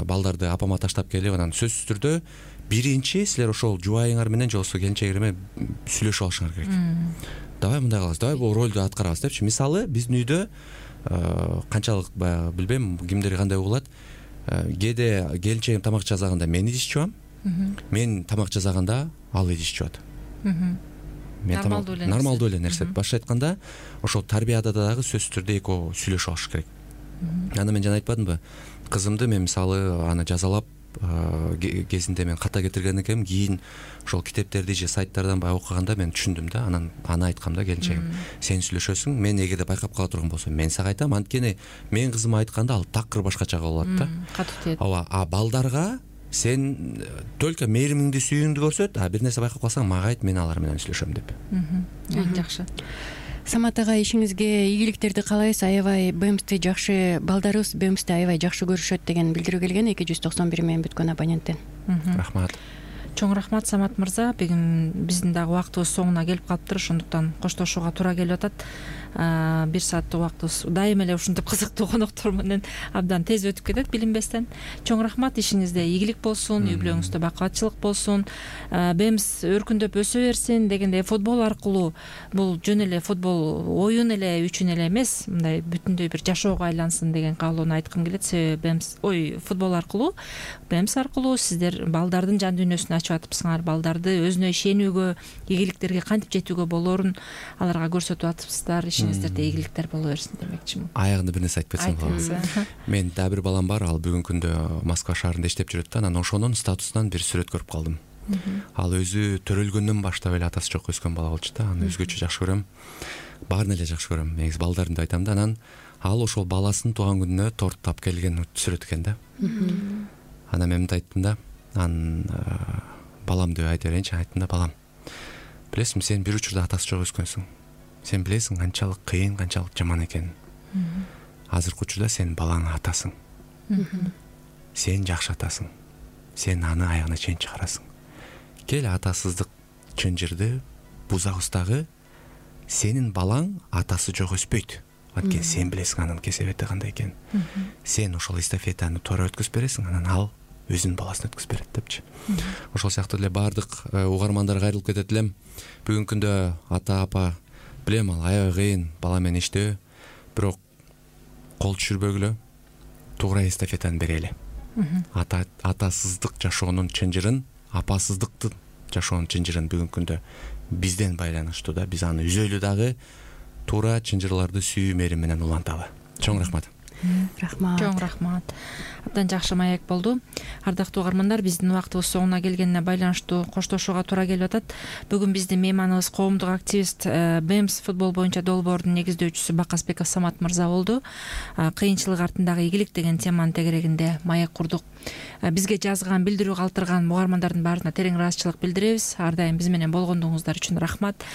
балдарды апама таштап келип, анан сөзсүз түрдө биринчи силер ошол жубайыңар менен же болбосо келинчегиңер менен сүйлөшүп алышыңар керек. Давай мындай кылабыз, давай бул ролду аткарабыз депчи. Мисалы, биздин үйдө канчалык баягы билбейм, кимдер кандай угулат, кээде келинчегим тамак жасаганда мен идиш жуам, мен тамак жасаганда ал идиш жуат. Нормалдуу эле нерсе. Башка айтканда, ошол тарбияда дагы сөзсүз түрдө экөө сүйлөшүп алыш керек. Аны мен жана айтпадымбы? Кызымды мен мисалы аны жазалап кезинде мен ката кетирген экенмин, кийин ошол китептерди же сайттардан баягы окуганда мен түшүндүм да. Анан аны айткам да келинчегим, сен сүйлөшөсүң, мен эгерде байкап кала турган болсом мен сага айтам, анткени мен кызыма айтканда ал такыр башкача болот да. Катуу тиет. Ооба, а балдарга сен только мээримиңди, сүйүүңдү көрсөт, а бир нерсе байкап калсаң мага айт, мен алар менен сүйлөшөм деп. Жакшы. Самат ага, ишиңизге ийгиликтерди каалайбыз. Аябай БМСти жакшы, балдарыбыз БМСти аябай жакшы көрүшөт деген билдирүү келген эки жүз токсон бир менен бүткөн абоненттен. Рахмат. Чоң рахмат Самат мырза. Бүгүн биздин дагы убактыбыз соңуна келип калыптыр, ошондуктан коштошууга туура келип атат. Бир сааттык убактыбыз дайыма эле ушинтип кызыктуу коноктор менен абдан тез өтүп кетет билинбестен. Чоң рахмат, ишиңизде ийгилик болсун, үй бүлөңүздө бакубатчылык болсун, БМС өркүндөп өсө берсин дегендей. Футбол аркылуу бул жөн эле футбол оюн эле үчүн эле эмес, мындай бүтүндөй бир жашоого айлансын деген каалоону айткым келет. Себеби БМС ой футбол аркылуу БМС аркылуу сиздер балдардын жан дүйнөсүн ачып атыпсыңар, балдарды өзүнө ишенүүгө, ийгиликтерге кантип жетүүгө болоорун аларга көрсөтүп атыпсыздар. Ишиңиздерде ийгиликтер боло берсин демекчимин. Аягында бир нерсе айтып кетсем болот. Мен дагы бир балам бар, ал бүгүнкү күндө Москва шаарында иштеп жүрөт да, анан ошонун статусунан бир сүрөт көрүп калдым. Ал өзү төрөлгөндөн баштап эле атасы жок өскөн бала болчу да, аны өзгөчө жакшы көрөм. Баарын эле жакшы көрөм. Негизи балдарымды айтам да, анан ал ошол баласынын тууган күнүнө торт тап келген сүрөт экен да. Анан мен мынтип айттым да, анан балам деп айта берейинчи, айттым да, балам, билесиңби, сен бир учурда атасы жок өскөнсүң. Сен билесиң канчалык кыйын, канчалык жаман экенин. Азыркы учурда сен балаңа атасың. Сен жакшы атасың. Сен аны аягына чейин чыгарасың. Кел атасыздык чынжырды бузабыз дагы, сенин балаң атасы жок өспөйт. Анткени сен билесиң анын кесепети кандай экенин. Сен ошол эстафетаны туура өткөзүп бересиң, анан ал өзүнүн баласын өткөзүп берет депчи. Ошол сыяктуу эле баардык угармандарга кайрылып кетет элем. Бүгүнкү күндө ата апа, билем, ал аябай кыйын бала менен иштөө, бирок кол түшүрбөгүлө туура эстафетаны берели. Ата атасыздык жашоонун чынжырын, апасыздыктын жашоонун чынжырын бүгүнкү күндө бизден байланыштуу да, биз аны үзөлү дагы, туура чынжырларды сүйүү мээрим менен уланталы. Чоң рахмат. Рахмат. Чоң рахмат. Абдан жакшы маек болду. Ардактуу угармандар, биздин убактыбыз соңуна келгенине байланыштуу коштошууга туура келип атат. Бүгүн биздин мейманыбыз коомдук активист, БМС футбол боюнча долбоордун негиздөөчүсү Бакасбеков Самат мырза болду. Кыйынчылык артындагы ийгилик деген теманын тегерегинде маек курдук. Бизге жазган, билдирүү калтырган угармандардын баарына терең ыраазычылык билдиребиз. Ар дайым биз менен болгондугуңуздар үчүн рахмат.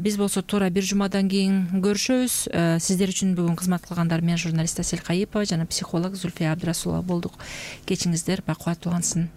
Биз болсо туура бир жумадан кийин көрүшөбүз. Сиздер үчүн бүгүн кызмат кылгандар мен журналист Асель Кайыпова жана психолог Зульфия Абдрасулова болдук. Кечиңиздер бакубат улансын.